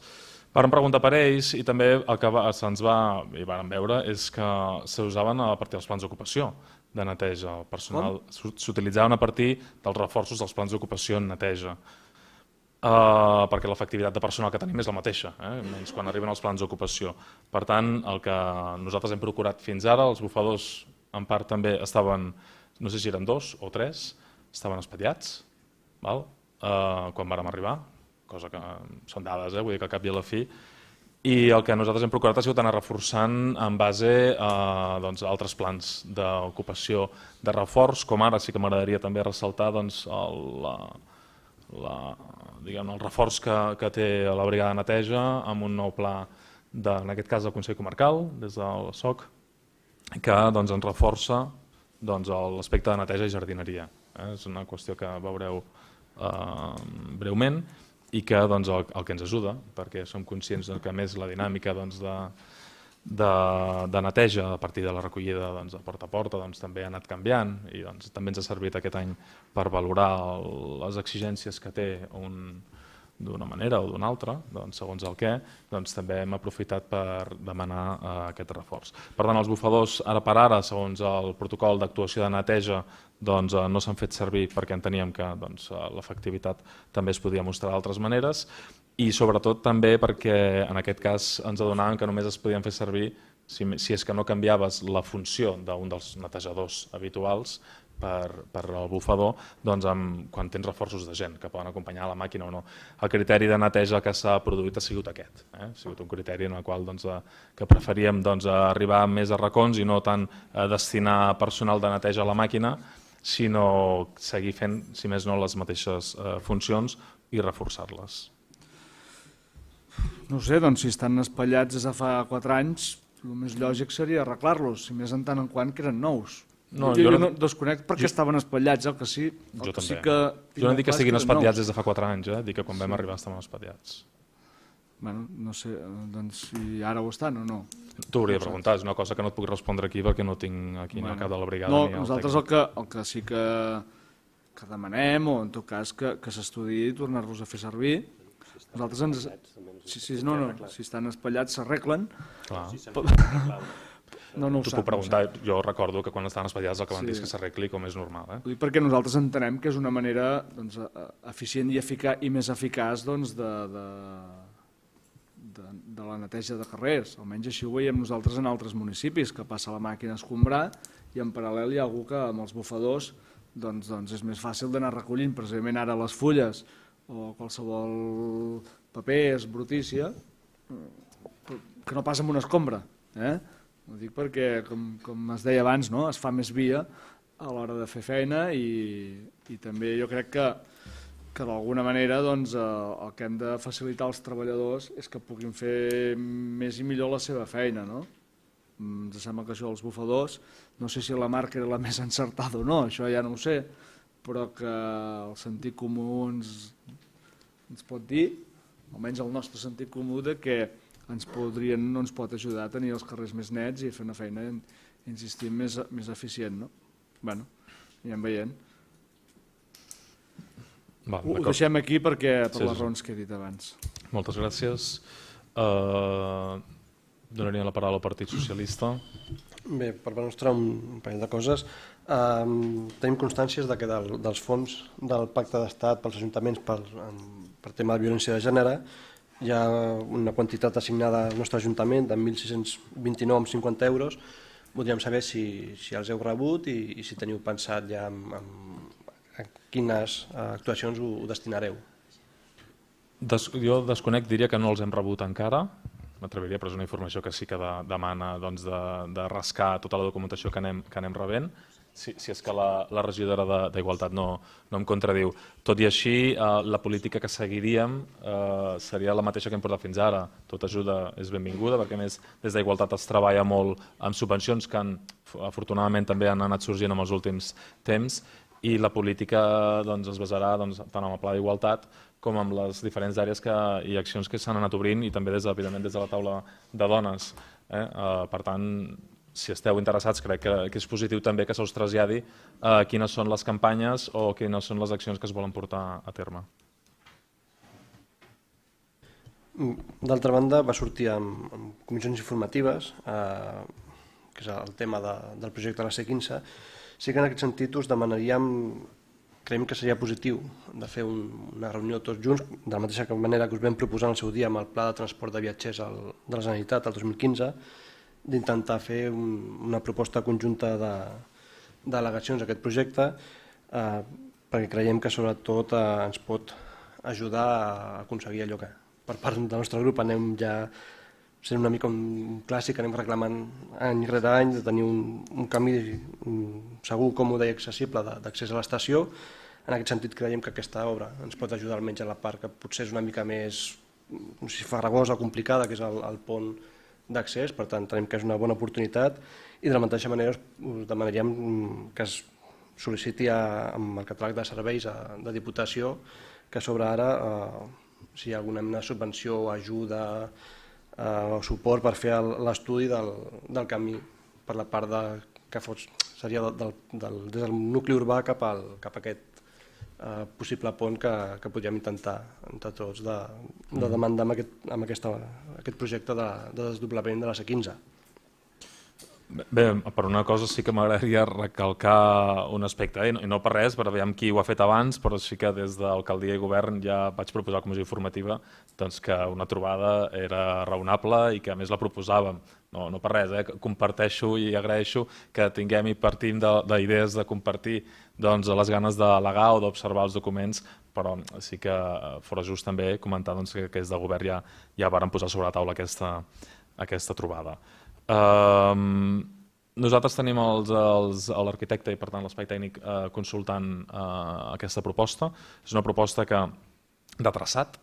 A: vàrem preguntar per ells i també el que se'ns va i vàrem veure és que s'usaven a partir dels plans d'ocupació de neteja. El personal s'utilitzaven a partir dels reforços dels plans d'ocupació en neteja, perquè l'efectivitat de personal que tenim és la mateixa, menys quan arriben els plans d'ocupació. Per tant, el que nosaltres hem procurat fins ara, els bufadors en part també estaven, no sé si eren 2 o 3, estaven espatllats, quan vàrem arribar, cosa que són dades, vull dir que al cap i a la fi, i el que nosaltres hem procurat ha sigut anar reforçant en base a altres plans d'ocupació de reforç, com ara sí que m'agradaria també ressaltar el reforç que té la brigada de neteja amb un nou pla, en aquest cas del Consell Comarcal, des del SOC, que ens reforça l'aspecte de neteja i jardineria. És una qüestió que veureu breument i que el que ens ajuda, perquè som conscients que a més la dinàmica de neteja a partir de la recollida de porta a porta també ha anat canviant i també ens ha servit aquest any per valorar les exigències que té d'una manera o d'una altra, segons el què, també hem aprofitat per demanar aquest reforç. Per tant, els bufadors ara per ara, segons el protocol d'actuació de neteja, no s'han fet servir perquè enteníem que l'efectivitat també es podia mostrar d'altres maneres i sobretot també perquè en aquest cas ens adonàvem que només es podien fer servir si és que no canviaves la funció d'un dels netejadors habituals per al bufador quan tens reforços de gent que poden acompanyar la màquina o no. El criteri de neteja que s'ha produït ha sigut aquest. Ha sigut un criteri en el qual que preferíem arribar més a racons i no tant destinar personal de neteja a la màquina, sinó seguir fent, si més no, les mateixes funcions i reforçar-les.
B: No ho sé, doncs si estan espatllats des de fa 4 anys, el més lògic seria arreglar-los, si més en tant en quant que eren nous. Jo no desconec perquè estaven espatllats, el que sí...
A: Jo també. Jo no dic que siguin espatllats des de fa 4 anys, dic que quan vam arribar estaven espatllats.
B: Bueno, no sé, doncs si ara ho estan o no.
A: T'ho hauria de preguntar, és una cosa que no et puc respondre aquí perquè no tinc aquí ni el cap de la brigada ni el
B: nosaltres el que sí que demanem, o en tot cas que s'estudiï i tornar-los a fer servir. Nosaltres si estan espatllats s'arreglen.
A: T'ho puc preguntar, jo recordo que quan estaven espatllats el que van dir és que s'arregli com és normal.
B: Ho dic perquè nosaltres entenem que és una manera eficient i més eficaç de la neteja de carrers. Almenys així ho veiem nosaltres en altres municipis, que passa la màquina a escombrar i en paral·lel hi ha algú que amb els bufadors és més fàcil d'anar recollint precisament ara les fulles o qualsevol paper, brutícia, que no passa amb una escombra. Ho dic perquè, com es deia abans, es fa més via a l'hora de fer feina i també jo crec que d'alguna manera el que hem de facilitar als treballadors és que puguin fer més i millor la seva feina. Ens sembla que això dels bufadors, no sé si la marca era la més encertada o no, això ja no ho sé, però que el sentit comú ens pot dir, almenys el nostre sentit comú, que no ens pot ajudar a tenir els carrers més nets i a fer una feina, insistim, més eficient. Bé, anirem veient. Ho deixem aquí per les raons que he dit abans.
A: Moltes gràcies. Donaria la paraula al Partit Socialista.
G: Bé, per part nostra un parell de coses. Tenim constàncies que dels fons del Pacte d'Estat pels ajuntaments per tema de violència de gènere hi ha una quantitat assignada al nostre ajuntament de 1.629,50 euros. Voldríem saber si els heu rebut i si teniu pensat ja a quines actuacions ho destinareu.
A: Jo desconec, diria que no els hem rebut encara, m'atreviria, però és una informació que sí que demana de rascar tota la documentació que anem rebent, si és que la regidora d'Igualtat no em contradiu. Tot i així, la política que seguiríem seria la mateixa que hem portat fins ara. Tota ajuda és benvinguda, perquè a més des d'Igualtat es treballa molt amb subvencions que afortunadament també han anat sorgint en els últims temps, i la política es basarà tant en el Pla d'Igualtat com en les diferents àrees i accions que s'han anat obrint i també, evidentment, des de la taula de dones. Per tant, si esteu interessats, crec que és positiu també que se us traslladi quines són les campanyes o quines són les accions que es volen portar a terme.
G: D'altra banda, va sortir en comissions informatives, que és el tema del projecte de la C15. Sí que en aquest sentit us demanaríem, creiem que seria positiu de fer una reunió tots junts, de la mateixa manera que us vam proposar en el seu dia amb el Pla de Transport de Viatgers de la Generalitat el 2015, d'intentar fer una proposta conjunta d'al·legacions a aquest projecte, perquè creiem que sobretot ens pot ajudar a aconseguir allò que per part del nostre grup anem ja sent una mica un clàssic, anem reclamant any rere any de tenir un camí segur, còmode i accessible d'accés a l'estació. En aquest sentit creiem que aquesta obra ens pot ajudar almenys a la part que potser és una mica més, no sé si farragosa o complicada, que és el pont d'accés. Per tant, tenim que és una bona oportunitat i de la mateixa manera us demanaríem que es sol·liciti amb el catàleg de serveis de Diputació que sobre ara si hi ha alguna mena de subvenció o ajuda o suport per fer l'estudi del camí per la part que seria des del nucli urbà cap a aquest possible pont que podríem intentar entre tots de demandar amb aquest projecte de desdoblament de la C15.
A: Bé, per una cosa sí que m'agradaria recalcar un aspecte, i no per res, per veure qui ho ha fet abans, però sí que des d'alcaldia i govern ja vaig proposar a la comissió informativa que una trobada era raonable i que a més la proposàvem. No per res, comparteixo i agraeixo que tinguem i partim d'idees de compartir les ganes d'al·legar o d'observar els documents, però sí que fora just també comentar que des del govern ja varen posar sobre la taula aquesta trobada. Nosaltres tenim l'arquitecte i per tant l'espai tècnic consultant aquesta proposta. És una proposta de traçat,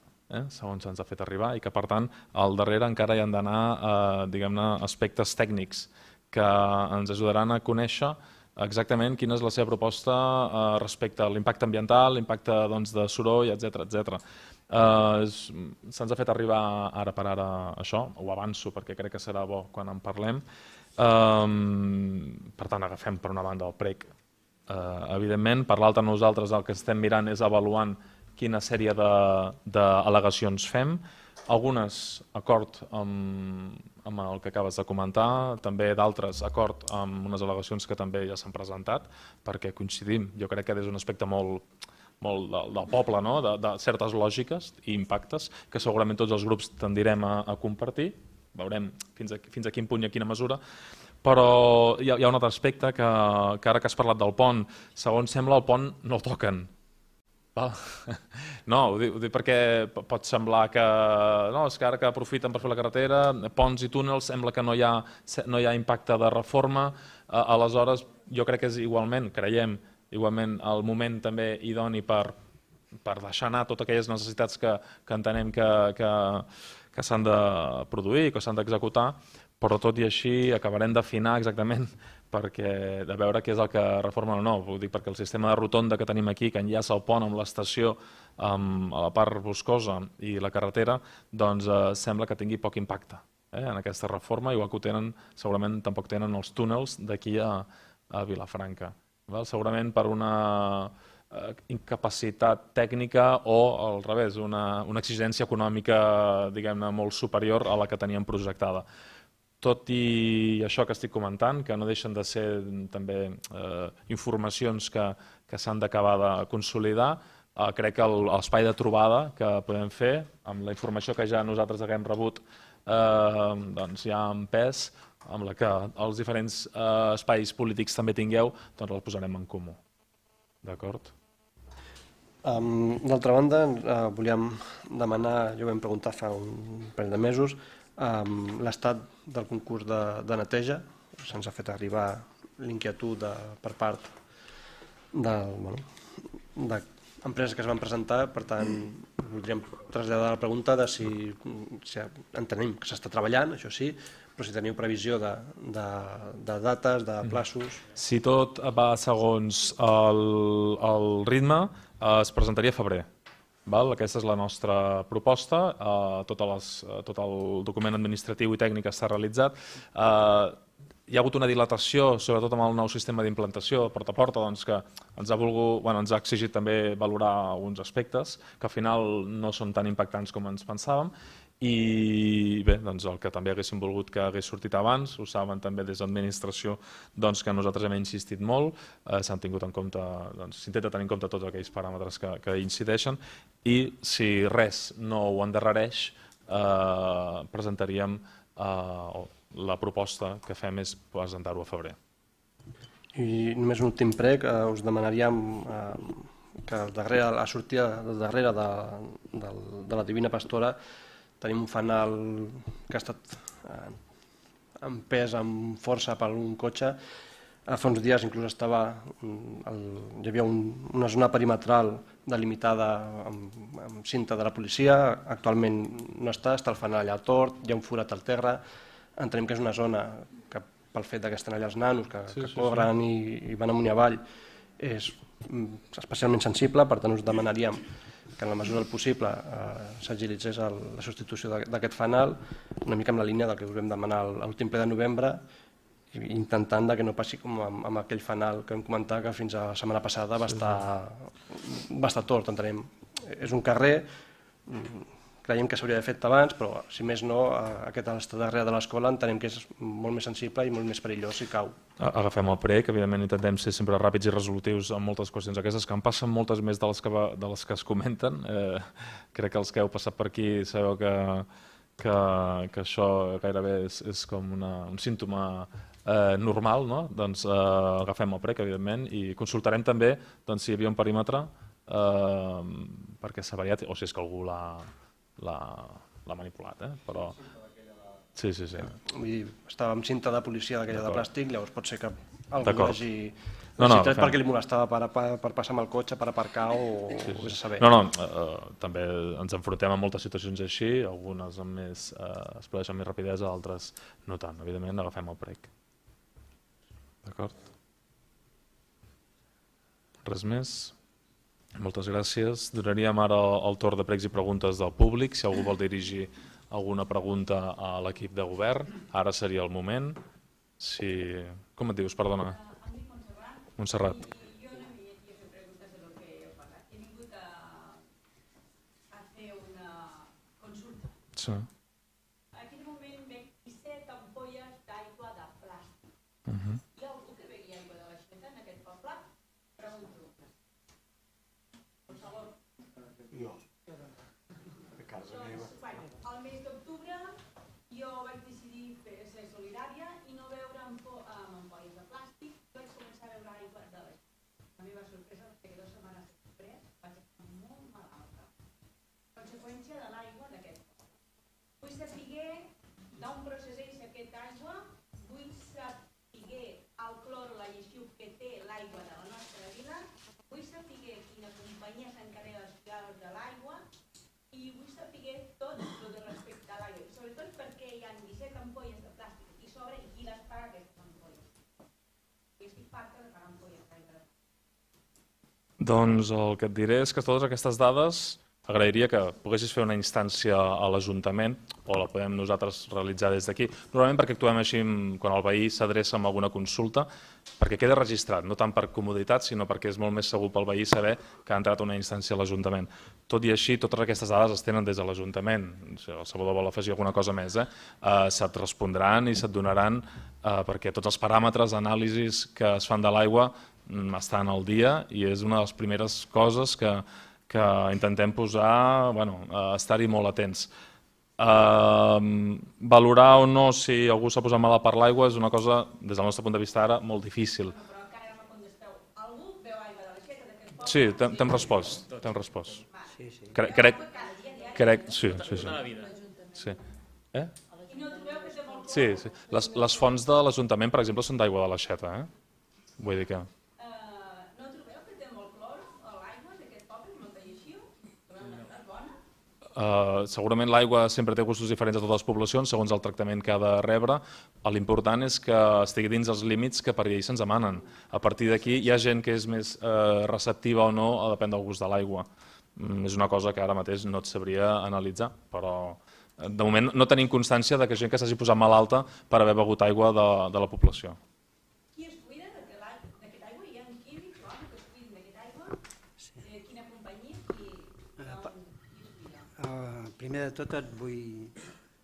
A: segons se'ns ha fet arribar, i que per tant al darrere encara hi han d'anar diguem-ne aspectes tècnics que ens ajudaran a conèixer exactament quina és la seva proposta respecte a l'impacte ambiental, l'impacte de soroll, etc. Se'ns ha fet arribar ara per ara això, ho avanço perquè crec que serà bo quan en parlem. Per tant, agafem per una banda el prec, evidentment, per l'altra nosaltres el que estem mirant és avaluant quina sèrie d'al·legacions fem, algunes acord amb el que acabes de comentar, també d'altres acord amb unes al·legacions que també ja s'han presentat, perquè coincidim, jo crec que és un aspecte molt del poble, de certes lògiques i impactes que segurament tots els grups tendirem a compartir, veurem fins a quin punt i a quina mesura, però hi ha un altre aspecte que ara que has parlat del pont, segons sembla el pont no el toquen. No, ho dic perquè pot semblar que és que ara que aprofiten per fer la carretera, ponts i túnels, sembla que no hi ha impacte de reforma, aleshores jo crec que és creiem igualment el moment també idoni per deixar anar totes aquelles necessitats que entenem que s'han de produir, que s'han d'executar, però tot i així acabarem d'afinar exactament de veure què és el que reformen o no. Ho dic perquè el sistema de rotonda que tenim aquí, que enllaça el pont amb l'estació a la part boscosa i la carretera, doncs sembla que tingui poc impacte en aquesta reforma, igual que ho tenen, segurament tampoc tenen els túnels d'aquí a Vilafranca. Segurament per una incapacitat tècnica o al revés, una exigència econòmica diguem-ne molt superior a la que teníem projectada. Tot i això que estic comentant, que no deixen de ser també informacions que s'han d'acabar de consolidar, crec que l'espai de trobada que podem fer, amb la informació que ja nosaltres haguem rebut ja en pes, amb la que els diferents espais polítics també tingueu, doncs el posarem en comú. D'acord?
G: D'altra banda, volíem demanar, ja ho vam preguntar fa un parell de mesos, l'estat del concurs de neteja. Se'ns ha fet arribar l'inquietud per part d'empreses que es van presentar, per tant voldríem traslladar la pregunta de si entenem que s'està treballant, això sí, però si teniu previsió de dates, de plaços.
A: Si tot va segons el ritme, es presentaria a febrer. Aquesta és la nostra proposta, tot el document administratiu i tècnic està realitzat. Hi ha hagut una dilatació, sobretot amb el nou sistema d'implantació de porta a porta, que ens ha exigit també valorar alguns aspectes que al final no són tan impactants com ens pensàvem. I bé, el que també haguéssim volgut que hagués sortit abans, ho saben també des d'administració, que nosaltres hem insistit molt, s'han tingut en compte, s'intenta tenir en compte tots aquells paràmetres que incideixen, i si res no ho endarrereix, presentaríem la proposta que fem és presentar-ho a febrer.
G: I només un últim prec, us demanaríem que la sortida del darrere de la Divina Pastora tenim un fanal que ha estat empès amb força per un cotxe. Fa uns dies inclús hi havia una zona perimetral delimitada amb cinta de la policia, actualment no està el fanal allà tort, hi ha un forat al terra. Entenem que és una zona que pel fet que estan allà els nanos que corren i van amunt i avall és especialment sensible, per tant us demanaríem que en la mesura del possible s'agilitzés la substitució d'aquest fanal, una mica amb la línia del que us vam demanar a l'últim ple de novembre, intentant que no passi com amb aquell fanal que vam comentar que fins a la setmana passada va estar tort, entenem. És un carrer, creiem que s'hauria d'haver fet abans, però si més no, aquest estar darrere de l'escola entenem que és molt més sensible i molt més perillós si cau.
A: Agafem el prec, evidentment intentem ser sempre ràpids i resolutius en moltes qüestions aquestes, que en passen moltes més de les que es comenten. Crec que els que heu passat per aquí sabeu que això gairebé és com un símptoma normal, no? Doncs agafem el prec, evidentment, i consultarem també si hi havia un perímetre perquè s'ha variat, o si és que algú l'ha manipulat, però... Sí.
G: Estava amb cinta de policia d'aquella de plàstic, llavors pot ser que algú hagi...
A: No,
G: perquè li molestava per passar amb el cotxe, per aparcar o vés a saber.
A: No, també ens enfrontem a moltes situacions així, algunes es produeixen amb més rapidesa, altres no tant. Evidentment, agafem el prec. D'acord? Res més? Moltes gràcies. Donaríem ara el torn de pregs i preguntes del públic. Si algú vol dirigir alguna pregunta a l'equip de govern, ara seria el moment. Com et dius, perdona? Montserrat.
J: Yo no me he hecho preguntas de lo que he pasado. He venido a hacer una consulta.
A: Sí.
J: Aquí de moment veig 17 ampolles d'aigua de plàstic. Hi ha algú que begui aigua de l'aixeta en aquest poble? Pregunto. Per favor.
H: No. A casa meva.
J: Al mes d'octubre jo vaig decidir ser solidària i no beure amb ampolles de plàstic. Vaig començar a beure aigua de l'aixeta. La meva sorpresa és que 2 setmanes després vaig estar molt malalta. Conseqüència de l'aigua d'aquest poble. Vull saber d'on procedeix aquesta aigua, vull saber el clor, la lleixiu que té l'aigua de la nostra vila, vull saber quina companyia s'encarrega dels cuidados de l'aigua i vull saber tot el de respecte a l'aigua, sobretot perquè hi ha 17 ampolles de plàstic i sobre i qui les paga aquestes ampolles. I estic farta de pagar ampolles d'aigua.
A: Doncs el que et diré és que totes aquestes dades agrairia que poguessis fer una instància a l'Ajuntament o la podem nosaltres realitzar des d'aquí. Normalment perquè actuem així quan el veí s'adreça amb alguna consulta, perquè queda registrat, no tant per comoditat, sinó perquè és molt més segur pel veí saber que ha entrat una instància a l'Ajuntament. Tot i així, totes aquestes dades es tenen des de l'Ajuntament. Si el Salvador vol afegir alguna cosa més, se't respondran i se't donaran perquè tots els paràmetres, anàlisis que es fan de l'aigua estan al dia i és una de les primeres coses que intentem posar, estar-hi molt atents. Valorar o no si algú s'ha posat malalt per l'aigua és una cosa, des del nostre punt de vista ara, molt difícil.
J: Però encara no me contesteu. Algú beu aigua de l'aixeta d'aquest poble?
A: Sí, t'hem respost.
E: Sí.
A: Crec, sí. Sí.
J: I no trobeu que té molt clor?
A: Sí. Les fonts de l'Ajuntament, per exemple, són d'aigua de l'aixeta. Vull dir que...
J: No trobeu que té molt clor l'aigua d'aquest poble, molta lleixiu? Trobeu una bona?
A: Segurament l'aigua sempre té gustos diferents a totes les poblacions, segons el tractament que ha de rebre. L'important és que estigui dins els límits que per llei se'ns demanen. A partir d'aquí hi ha gent que és més receptiva o no, depèn del gust de l'aigua. És una cosa que ara mateix no et sabria analitzar, però de moment no tenim constància de que gent que s'hagi posat malalta per haver begut aigua de la població.
J: Qui es cuida d'aquest aigua? Hi ha químics que es cuiden d'aquest aigua? Quina companyia?
E: Primer de tot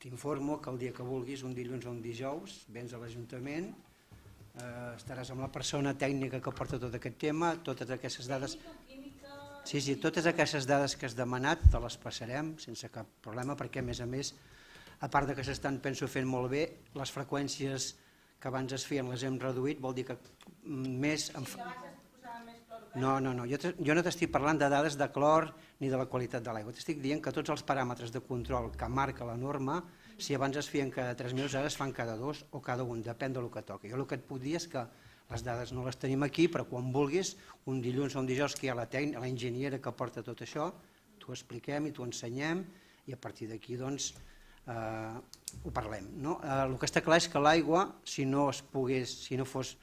E: t'informo que el dia que vulguis, un dilluns o un dijous, vens a l'Ajuntament, estaràs amb la persona tècnica que porta tot aquest tema, totes aquestes dades... Sí, totes aquestes dades que has demanat te les passarem sense cap problema perquè, a més, a part que s'estan, penso, fent molt bé, les freqüències que abans es feien les hem reduït, vol dir que més... No, jo no t'estic parlant de dades de clor ni de la qualitat de l'aigua, t'estic dient que tots els paràmetres de control que marca la norma, si abans es feien cada 3 mesos, ara es fan cada 2 o cada 1, depèn del que toqui. Jo el que et puc dir és que les dades no les tenim aquí, però quan vulguis, un dilluns o un dijous que hi ha la enginyera que porta tot això, t'ho expliquem i t'ho ensenyem i a partir d'aquí doncs ho parlem. El que està clar és que l'aigua, si no fos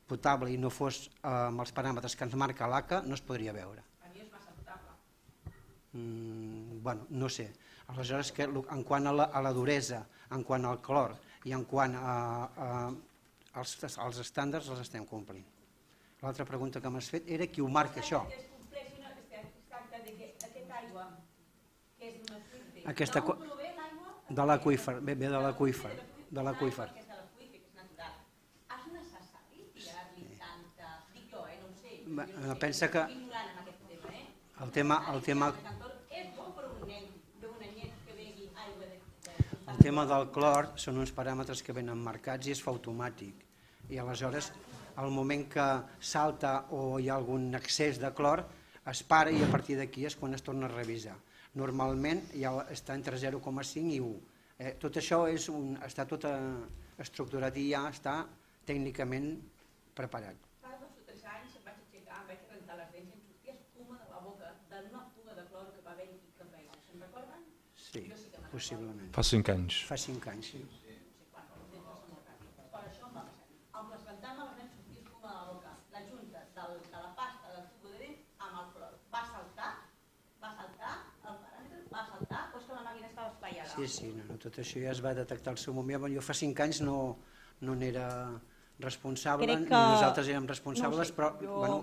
E: potable i no fos amb els paràmetres que ens marca l'ACA, no es podria beure.
J: Per mi és massa potable.
E: Bueno, no sé. Aleshores, en quant a la duresa, en quant al clor i en quant als estàndards els estem complint. L'altra pregunta que m'has fet era qui ho marca això.
J: Es compleixi una tracta d'aquesta aigua que és d'una fuente.
E: D'on
J: prové l'aigua?
E: De l'aqüífer, ve de l'aqüífer. De l'aqüífer.
J: Que és de l'aqüífer, que és natural. És necessari tirar-li tanta... Dic jo, no ho sé.
E: Pensa que
J: ignorant en aquest tema,
E: el tema
J: és bo per un nen, d'una net que begui aigua
E: el tema del clor són uns paràmetres que venen marcats i es fa automàtic. I aleshores, al moment que salta o hi ha algun excés de clor, es para i a partir d'aquí és quan es torna a revisar. Normalment ja està entre 0,5 i 1. Tot això està tot estructurat i ja està tècnicament preparat.
J: Fa 2 o 3 anys em vaig aixecar, em vaig rentar les dents i em sortia espuma de la boca d'una fuga de cloro que va haver-hi aquí cap allà. Se'n recorden?
E: Sí, possiblement.
A: Fa 5 anys.
E: Fa 5 anys, sí.
J: Per això em va passar. Amb les rentant-me les dents sortia espuma de la boca. La junta de la pasta del tubo de dent amb el clor. Va saltar, el paràmetre va saltar, o és que la màquina estava espaiada?
E: Sí, no, tot això ja es va detectar al seu moment. Jo fa 5 anys no n'era responsable, ni nosaltres érem responsables, però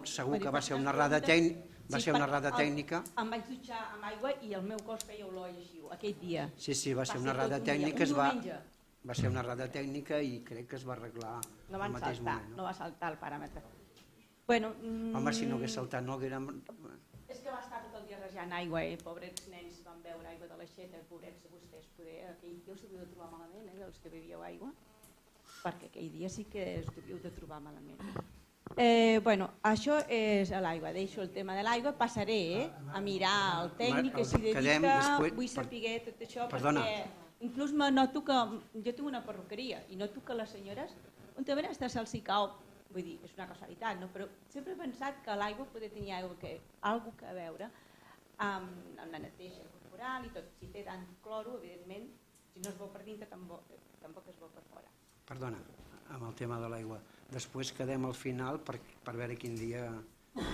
E: segur que va ser una errada tècnica.
J: Em vaig dutxar amb aigua i el meu cos feia olor i així, aquell dia.
E: Sí, va ser una errada tècnica, va ser una errada tècnica i crec que es va arreglar al mateix moment.
J: No va saltar el paràmetre.
E: Home, si no hagués saltat no haguérem...
J: És que va estar tot el dia rejant aigua i pobrets nens van beure aigua de l'aixeta, pobrets de vostès, poder aquell dia us devíeu de trobar malament, els que bevíeu aigua, perquè aquell dia sí que us devíeu de trobar malament. Això és l'aigua, deixo el tema de l'aigua, passaré a mirar el tècnic que s'hi dedica, vull saber tot això, perquè inclús me noto que jo tinc una perruqueria i noto que les senyores, un tema està se'ls hi cau, vull dir, és una casualitat, però sempre he pensat que l'aigua pot tenir alguna cosa a veure amb la neteja corporal i tot. Si té tant cloro, evidentment, si no es veu per dintre, tampoc es veu per fora.
E: Perdona, amb el tema de l'aigua. Després quedem al final per veure quin dia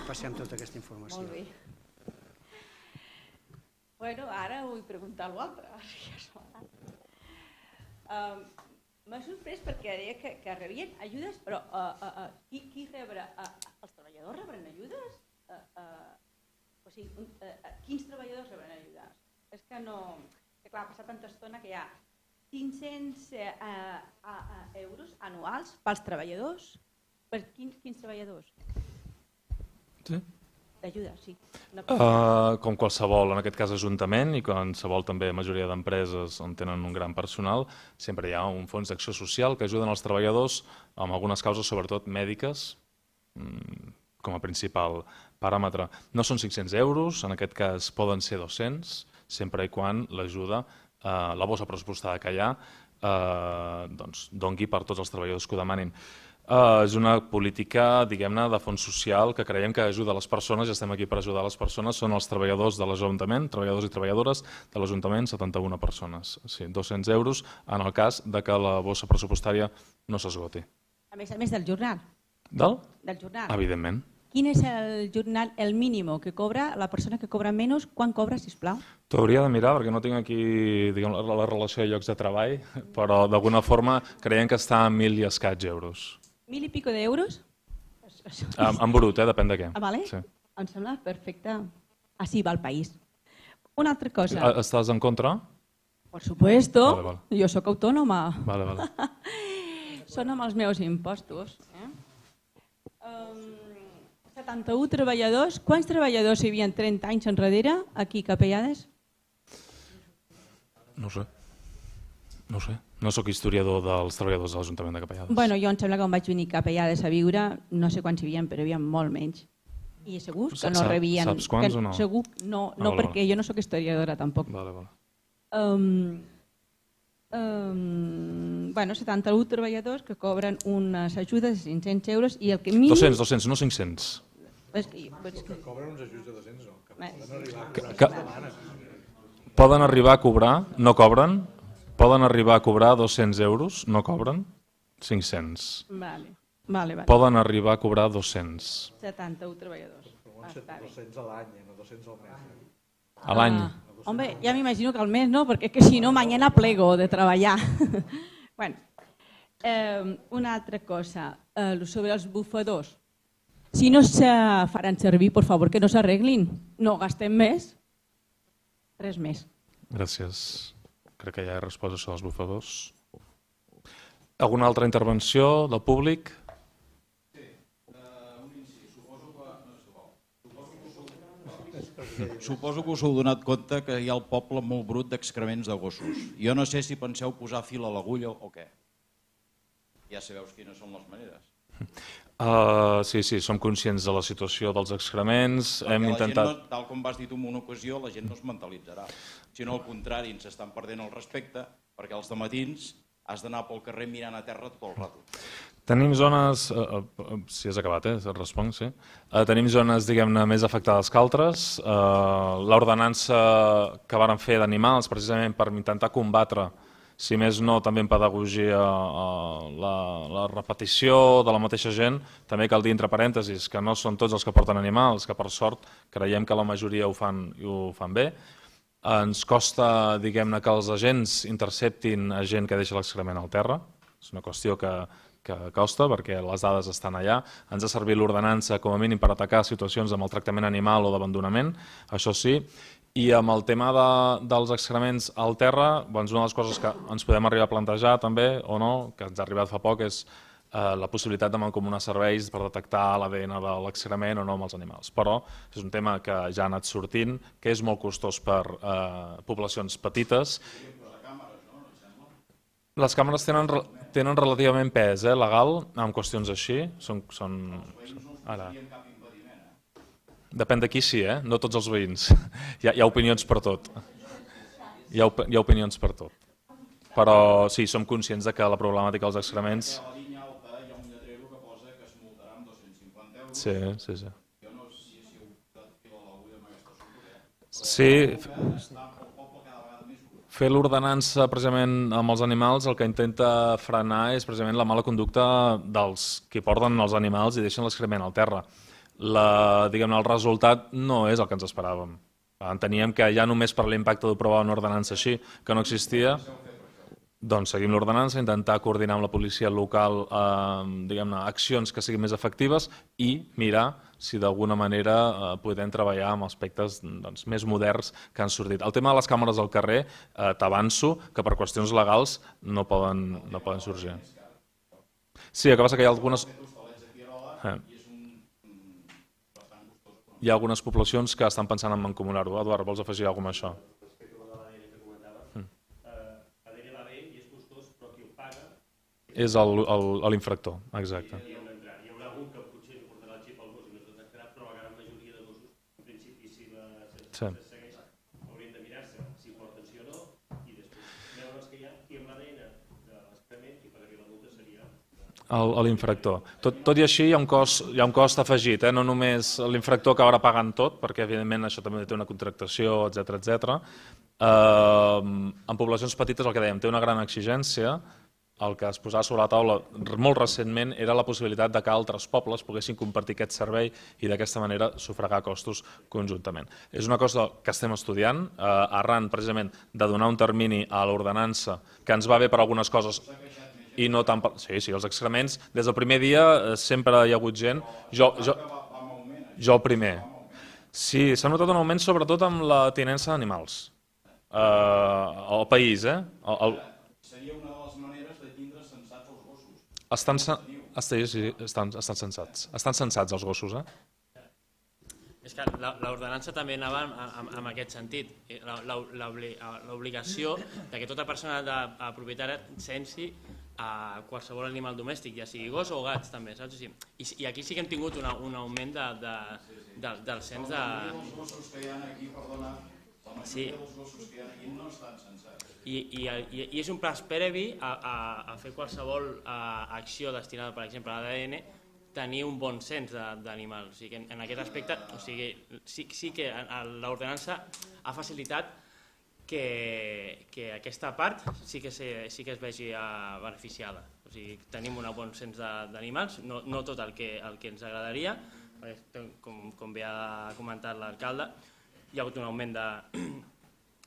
E: passem tota aquesta informació.
J: Molt bé. Bueno, ara vull preguntar l'altre. M'ha sorprès perquè deia que rebien ajudes, però qui rebrà? Els treballadors rebran ajudes? O sigui, quins treballadors rebran ajudes? És que no... Clar, ha passat tanta estona que hi ha 500 euros anuals pels treballadors. Per quins treballadors?
A: Sí.
J: D'ajuda, sí.
A: Com qualsevol, en aquest cas ajuntament i qualsevol també majoria d'empreses on tenen un gran personal, sempre hi ha un fons d'acció social que ajuden els treballadors amb algunes causes, sobretot mèdiques, com a principal paràmetre. No són 500 euros, en aquest cas poden ser 200, sempre i quan l'ajuda, la bossa pressupostada que hi ha, dongui per tots els treballadors que ho demanin. És una política, diguem-ne, de fons social que creiem que ajuda les persones i estem aquí per ajudar les persones. Són els treballadors de l'Ajuntament, treballadors i treballadores de l'Ajuntament, 71 persones. Sí, 200 euros en el cas de que la bossa pressupostària no s'esgoti.
J: A més del jornal.
A: Del
J: jornal.
A: Evidentment.
J: Quin és el jornal, el mínim que cobra la persona que cobra menys? Quan cobra, sisplau?
A: T'ho hauria de mirar perquè no tinc aquí la relació de llocs de treball, però d'alguna forma creiem que està a 1.000 i escaig euros.
J: 1.000 i pico d'euros?
A: En brut, depèn de què.
J: Vale? Sí. Em sembla perfecte. Així va el país. Una altra cosa.
A: Estàs en contra?
J: Por supuesto.
A: Vale.
J: Jo sóc autònoma.
A: Vale.
J: Són amb els meus impostos. 71 treballadors. Quants treballadors hi havia 30 anys enrere aquí a Capellades?
A: No ho sé. No sóc historiador dels treballadors de l'Ajuntament de Capellades.
J: Bueno, jo em sembla que em vaig venir a Capellades a viure, no sé quants hi havia, però hi havia molt menys. I segur que no rebien...
A: Saps quants o no?
J: Segur, no, perquè jo no sóc historiadora tampoc.
A: Vale.
J: 71 treballadors que cobren unes ajudes de 500 euros i el que...
A: 200, no 500.
F: Que cobren uns ajuts de 200, no.
A: Poden arribar a cobrar, no cobren? Poden arribar a cobrar 200 euros, no cobren? 500.
J: Vale.
A: Poden arribar a cobrar 200.
J: 71 treballadors.
F: 200 a l'any, no 200 al mes.
A: A l'any?
J: Hombre, ja m'imagino que al mes no, perquè que si no, mañana plego de treballar. Bueno, una altra cosa, sobre els bufadors. Si no se faran servir, por favor, que no s'arreglin. No gastem més. Res més.
A: Gràcies. Crec que ja he respost això dels bufadors. Alguna altra intervenció del públic?
K: Sí, un incís.
L: Suposo que us heu donat compte que hi ha al poble molt brut d'excrements de gossos. Jo no sé si penseu posar fil a l'agulla o què. Ja sabeu quines són les maneres.
A: Sí, som conscients de la situació dels excrements. Hem intentat...
L: Tal com vas dir tu en una ocasió, la gent no es mentalitzarà. Sinó al contrari, ens estan perdent el respecte perquè els dematins has d'anar pel carrer mirant a terra tot el rato.
A: Tenim zones, si has acabat, responc, sí. Tenim zones, diguem-ne, més afectades que altres. L'ordenança que varen fer d'animals, precisament per intentar combatre, si més no, també en pedagogia, la repetició de la mateixa gent, també cal dir entre parèntesis que no són tots els que porten animals, que per sort creiem que la majoria ho fan bé. Ens costa, diguem-ne, que els agents interceptin a gent que deixa l'excrement al terra. És una qüestió que costa perquè les dades estan allà. Ens ha servit l'ordenança com a mínim per atacar situacions de maltractament animal o d'abandonament, això sí. I amb el tema dels excrements al terra, una de les coses que ens podem arribar a plantejar també, o no, que ens ha arribat fa poc, és la possibilitat de mancomunar serveis per detectar l'ADN de l'excrement o no amb els animals. Però és un tema que ja ha anat sortint, que és molt costós per poblacions petites. Les càmeres tenen relativament pes legal en qüestions així. Depèn de qui sí, no tots els veïns. Hi ha opinions per tot. Hi ha opinions per tot. Però sí, som conscients que la problemàtica dels excrements... Sí. Sí, fer l'ordenança precisament amb els animals el que intenta frenar és precisament la mala conducta dels que porten els animals i deixen l'excrement al terra. El resultat no és el que ens esperàvem. Enteníem que ja només per l'impacte d'aprovar una ordenança així, que no existia, doncs seguim l'ordenança, intentar coordinar amb la policia local accions que siguin més efectives i mirar si d'alguna manera podem treballar amb aspectes més moderns que han sortit. El tema de les càmeres al carrer, t'avanço que per qüestions legals no poden sorgir. Sí, el que passa que hi ha algunes... Hi ha algunes poblacions que estan pensant en mancomunar-ho. Eduard, vols afegir alguna cosa amb això? És l'infractor, exacte.
M: Hi haurà algun que potser li portarà el xip al gos i no es detectarà, però la gran majoria de gossos, en principi, si se segueix, haurien de mirar-se si porten sí o no, i després veure els que hi ha, i amb l'ADN de l'excrement, qui pagaria la multa seria...
A: L'infractor. Tot i així hi ha un cost afegit, no només l'infractor acabarà pagant tot, perquè evidentment això també té una contractació, etc. En poblacions petites, el que dèiem, té una gran exigència. El que es posava sobre la taula molt recentment era la possibilitat que altres pobles poguessin compartir aquest servei i d'aquesta manera sufragar costos conjuntament. És una cosa que estem estudiant, arran precisament de donar un termini a l'ordenança que ens va bé per algunes coses i no tant per... Sí, els excrements, des del primer dia sempre hi ha hagut gent... Jo el primer. Sí, s'ha notat un augment sobretot amb la tinença d'animals. Al país,
L: Seria una de les maneres de tindre sensats els gossos.
A: Estan sensats. Estan sensats els gossos,
M: És que l'ordenança també anava en aquest sentit. L'obligació que tota persona propietària sensi a qualsevol animal domèstic, ja sigui gos o gats també, saps? I aquí sí que hem tingut un augment del cens de...
L: Els gossos que hi ha aquí, perdona, la majoria dels gossos que hi ha aquí no estan sensats.
M: I és un pas previ a fer qualsevol acció destinada, per exemple, a l'ADN, tenir un bon cens d'animals. O sigui, en aquest aspecte, sí que l'ordenança ha facilitat que aquesta part sí que es vegi beneficiada. O sigui, tenim un bon cens d'animals, no tot el que ens agradaria, perquè, com bé ha comentat l'alcalde, hi ha hagut un augment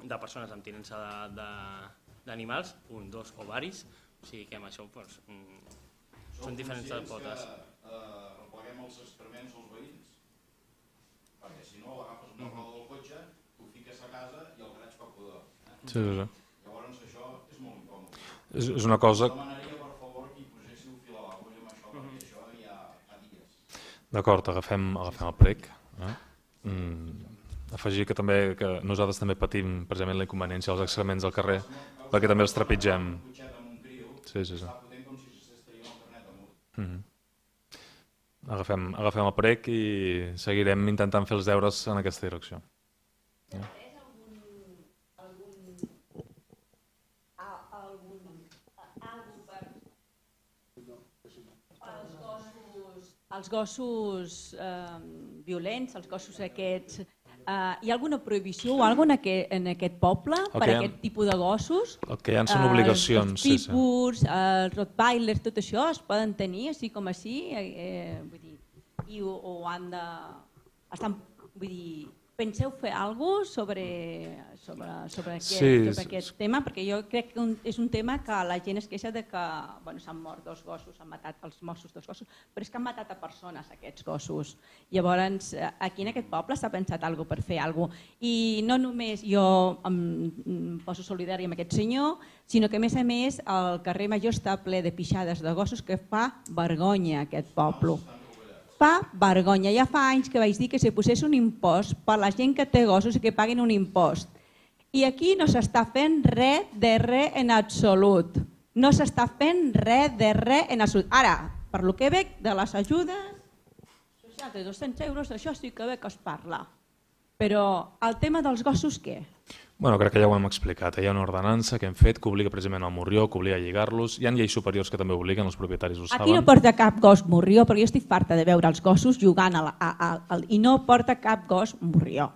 M: de persones amb tinença d'animals, un, dos o varis, o sigui que amb això són diferents potes.
L: Repleguem els excrements als veïns? Perquè si no, agafes una roda del cotxe, t'ho fiques a casa i el graig fa pudor. Llavors això és molt incòmode.
A: És una cosa...
L: Demanaria, per favor, que hi poséssiu fil a l'agulla amb això, perquè això ja fa dies.
A: D'acord, agafem el prec. Afegir que nosaltres també patim precisament la inconveniència dels excrements al carrer, perquè també els trepitgem. Sí. Agafem el prec i seguirem intentant fer els deures en aquesta direcció.
J: Els gossos violents, els gossos aquests, hi ha alguna prohibició o alguna en aquest poble per a aquest tipus de gossos?
A: El que hi ha són obligacions.
J: Els pitbulls, els rottweilers, tot això es poden tenir així com així? I ho han de... Vull dir, penseu fer alguna cosa sobre aquest tema? Perquè jo crec que és un tema que la gent es queixa de que s'han mort 2 gossos, han matat els Mossos 2 gossos, però és que han matat a persones aquests gossos. Llavors, aquí en aquest poble s'ha pensat alguna cosa per fer alguna cosa. I no només jo em poso solidari amb aquest senyor, sinó que a més el carrer Major està ple de pixades de gossos que fa vergonya aquest poble. Fa vergonya. Ja fa anys que vaig dir que si posés un impost per la gent que té gossos i que paguin un impost. I aquí no s'està fent res de res en absolut. No s'està fent res de res en absolut. Ara, per lo que veig de les ajudes, de 200 euros, això sí que veig que es parla. Però el tema dels gossos, què?
A: Bueno, crec que ja ho hem explicat. Hi ha una ordenança que hem fet que obliga precisament al morrió, que obliga a lligar-los. Hi ha lleis superiors que també obliguen, els propietaris ho saben.
J: Aquí no porta cap gos morrió, perquè jo estic farta de veure els gossos jugant i no porta cap gos morrió.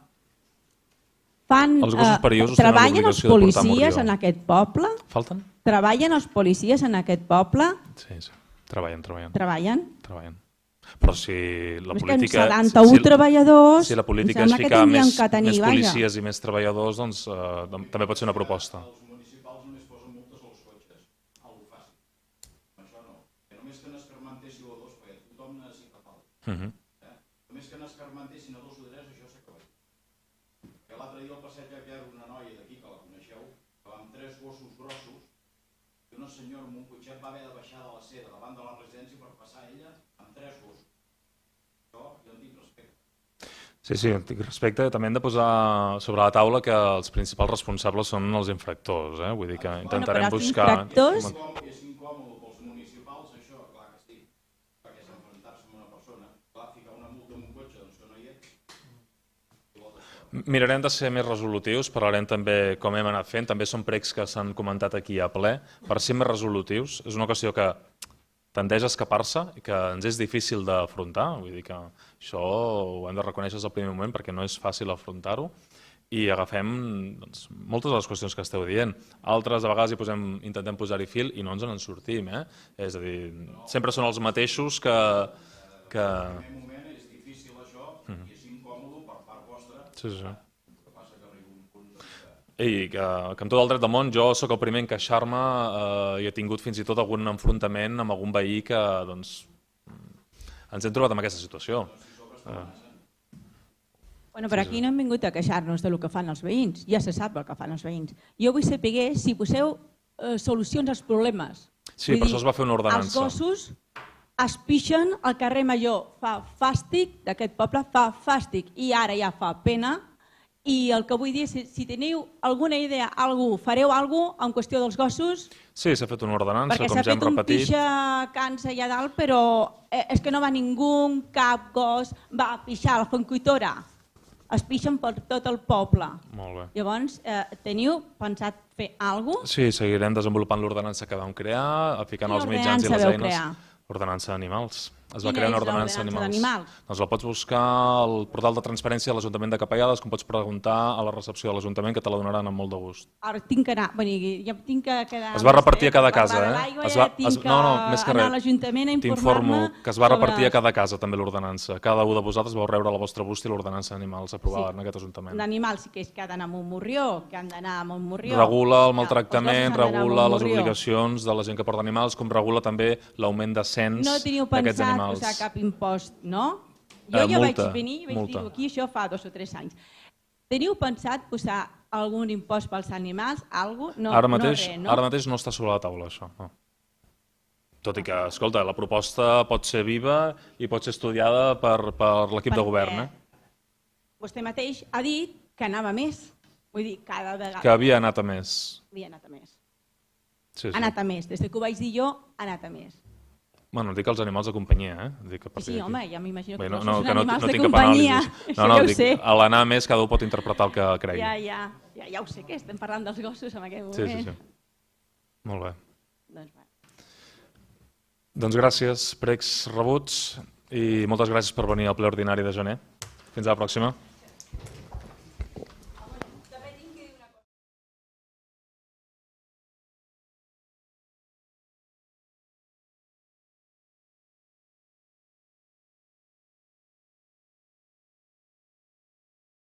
A: Els gossos perillosos tenen
J: Treballen els
A: l'obligació de portar
J: policies
A: morrió.
J: en aquest poble?
A: Falten?
J: Treballen els policies en aquest poble?
A: Sí. Treballen.
J: Treballen?
A: Però si la política...
J: 71 treballadors...
A: Si la política és ficar més policies i més treballadors, doncs també pot ser una proposta.
L: Els municipals només posen multes als cotxes. Algo fàcil. Això no. Que només que n'escarmentessin o 2, perquè tothom necessita falta. Només que n'escarmentessin a 2 o 3, això s'acaba. Que l'altre dia al passeig hi havia una noia d'aquí, que la coneixeu, que va amb 3 gossos grossos, i una senyora amb un cotxet va haver de baixar de la seda davant de la residència per passar ella amb 3 gossos. Jo en tinc respecte.
A: Sí, en tinc respecte. També hem de posar sobre la taula que els principals responsables són els infractors. Vull dir que intentarem buscar...
L: És incòmode pels municipals, això, clar que sí. Perquè s'enfrontar-se amb una persona, clar, ficar una multa en un cotxe, doncs que no hi és.
A: Mirarem de ser més resolutius, parlarem també com hem anat fent, també són pregs que s'han comentat aquí a ple, per ser més resolutius. És una qüestió que tendeix a escapar-se i que ens és difícil d'afrontar, vull dir que això ho hem de reconèixer des del primer moment perquè no és fàcil afrontar-ho i agafem moltes de les qüestions que esteu dient. Altres, a vegades, intentem posar-hi fil i no ens en sortim. És a dir, sempre són els mateixos que...
L: En aquest moment és difícil això i és incòmode per part vostra.
A: Sí.
L: El que passa que arriba un punt...
A: I que amb tot el dret del món jo sóc el primer en queixar-me i he tingut fins i tot algun enfrontament amb algun veí que ens hem trobat en aquesta situació.
J: Però aquí no hem vingut a queixar-nos del que fan els veïns, ja se sap el que fan els veïns. Jo vull saber si poseu solucions als problemes.
A: Sí, per això es va fer una ordenança.
J: Els gossos es pixen al carrer Major, fa fàstic d'aquest poble, fa fàstic i ara ja fa pena. I el que vull dir és, si teniu alguna idea, fareu alguna cosa en qüestió dels gossos?
A: Sí, s'ha fet una ordenança, com ja hem repetit.
J: Perquè s'ha fet un pixa cansa allà dalt, però és que no va ningú, cap gos, va pixar a la Fontcoitora. Es pixen per tot el poble.
A: Molt bé.
J: Llavors, teniu pensat fer alguna cosa?
A: Sí, seguirem desenvolupant l'ordenança que vam crear, ficant els mitjans i les eines. Ordenança d'animals. Es va crear una ordenança d'animals. Doncs la pots buscar al portal de transparència de l'Ajuntament de Capellades, com pots preguntar a la recepció de l'Ajuntament, que te la donaran amb molt de gust.
J: Ara tinc que anar, ja tinc que quedar...
A: Es va repartir a cada casa,
J: tinc que anar a l'Ajuntament a informar-me...
A: T'informo que es va repartir a cada casa també l'ordenança. Cada un de vosaltres vau rebre a la vostra bústia l'ordenança d'animals aprovada en aquest Ajuntament.
J: D'animals, que és que ha d'anar amb un morrió, que han d'anar amb un morrió.
A: Regula el maltractament, regula les obligacions de la gent que porta animals, com regula també l'augment de cens d'aquests animals.
J: No teniu pensat posar cap impost, no? Jo ja vaig venir i vaig dir aquí això fa 2 o 3 anys. Teniu pensat posar algun impost pels animals?
A: Ara mateix no està sobre la taula, això. Tot i que, escolta, la proposta pot ser viva i pot ser estudiada per l'equip de govern.
J: Vostè mateix ha dit que anava més. Vull dir, cada vegada...
A: Que havia anat a més.
J: Havia anat a més.
A: Ha
J: anat a més. Des que ho vaig dir jo, ha anat a més.
A: Bueno, dic els animals de companyia,
J: Sí, home, ja m'imagino que
A: no
J: són animals de companyia.
A: No, dic, a l'anar més cada un pot interpretar el que cregui.
J: Ja ho sé, que estem parlant dels gossos en aquest moment.
A: Sí. Molt bé.
J: Doncs bé.
A: Doncs gràcies, pregs rebuts, i moltes gràcies per venir al ple ordinari de gener. Fins a la pròxima.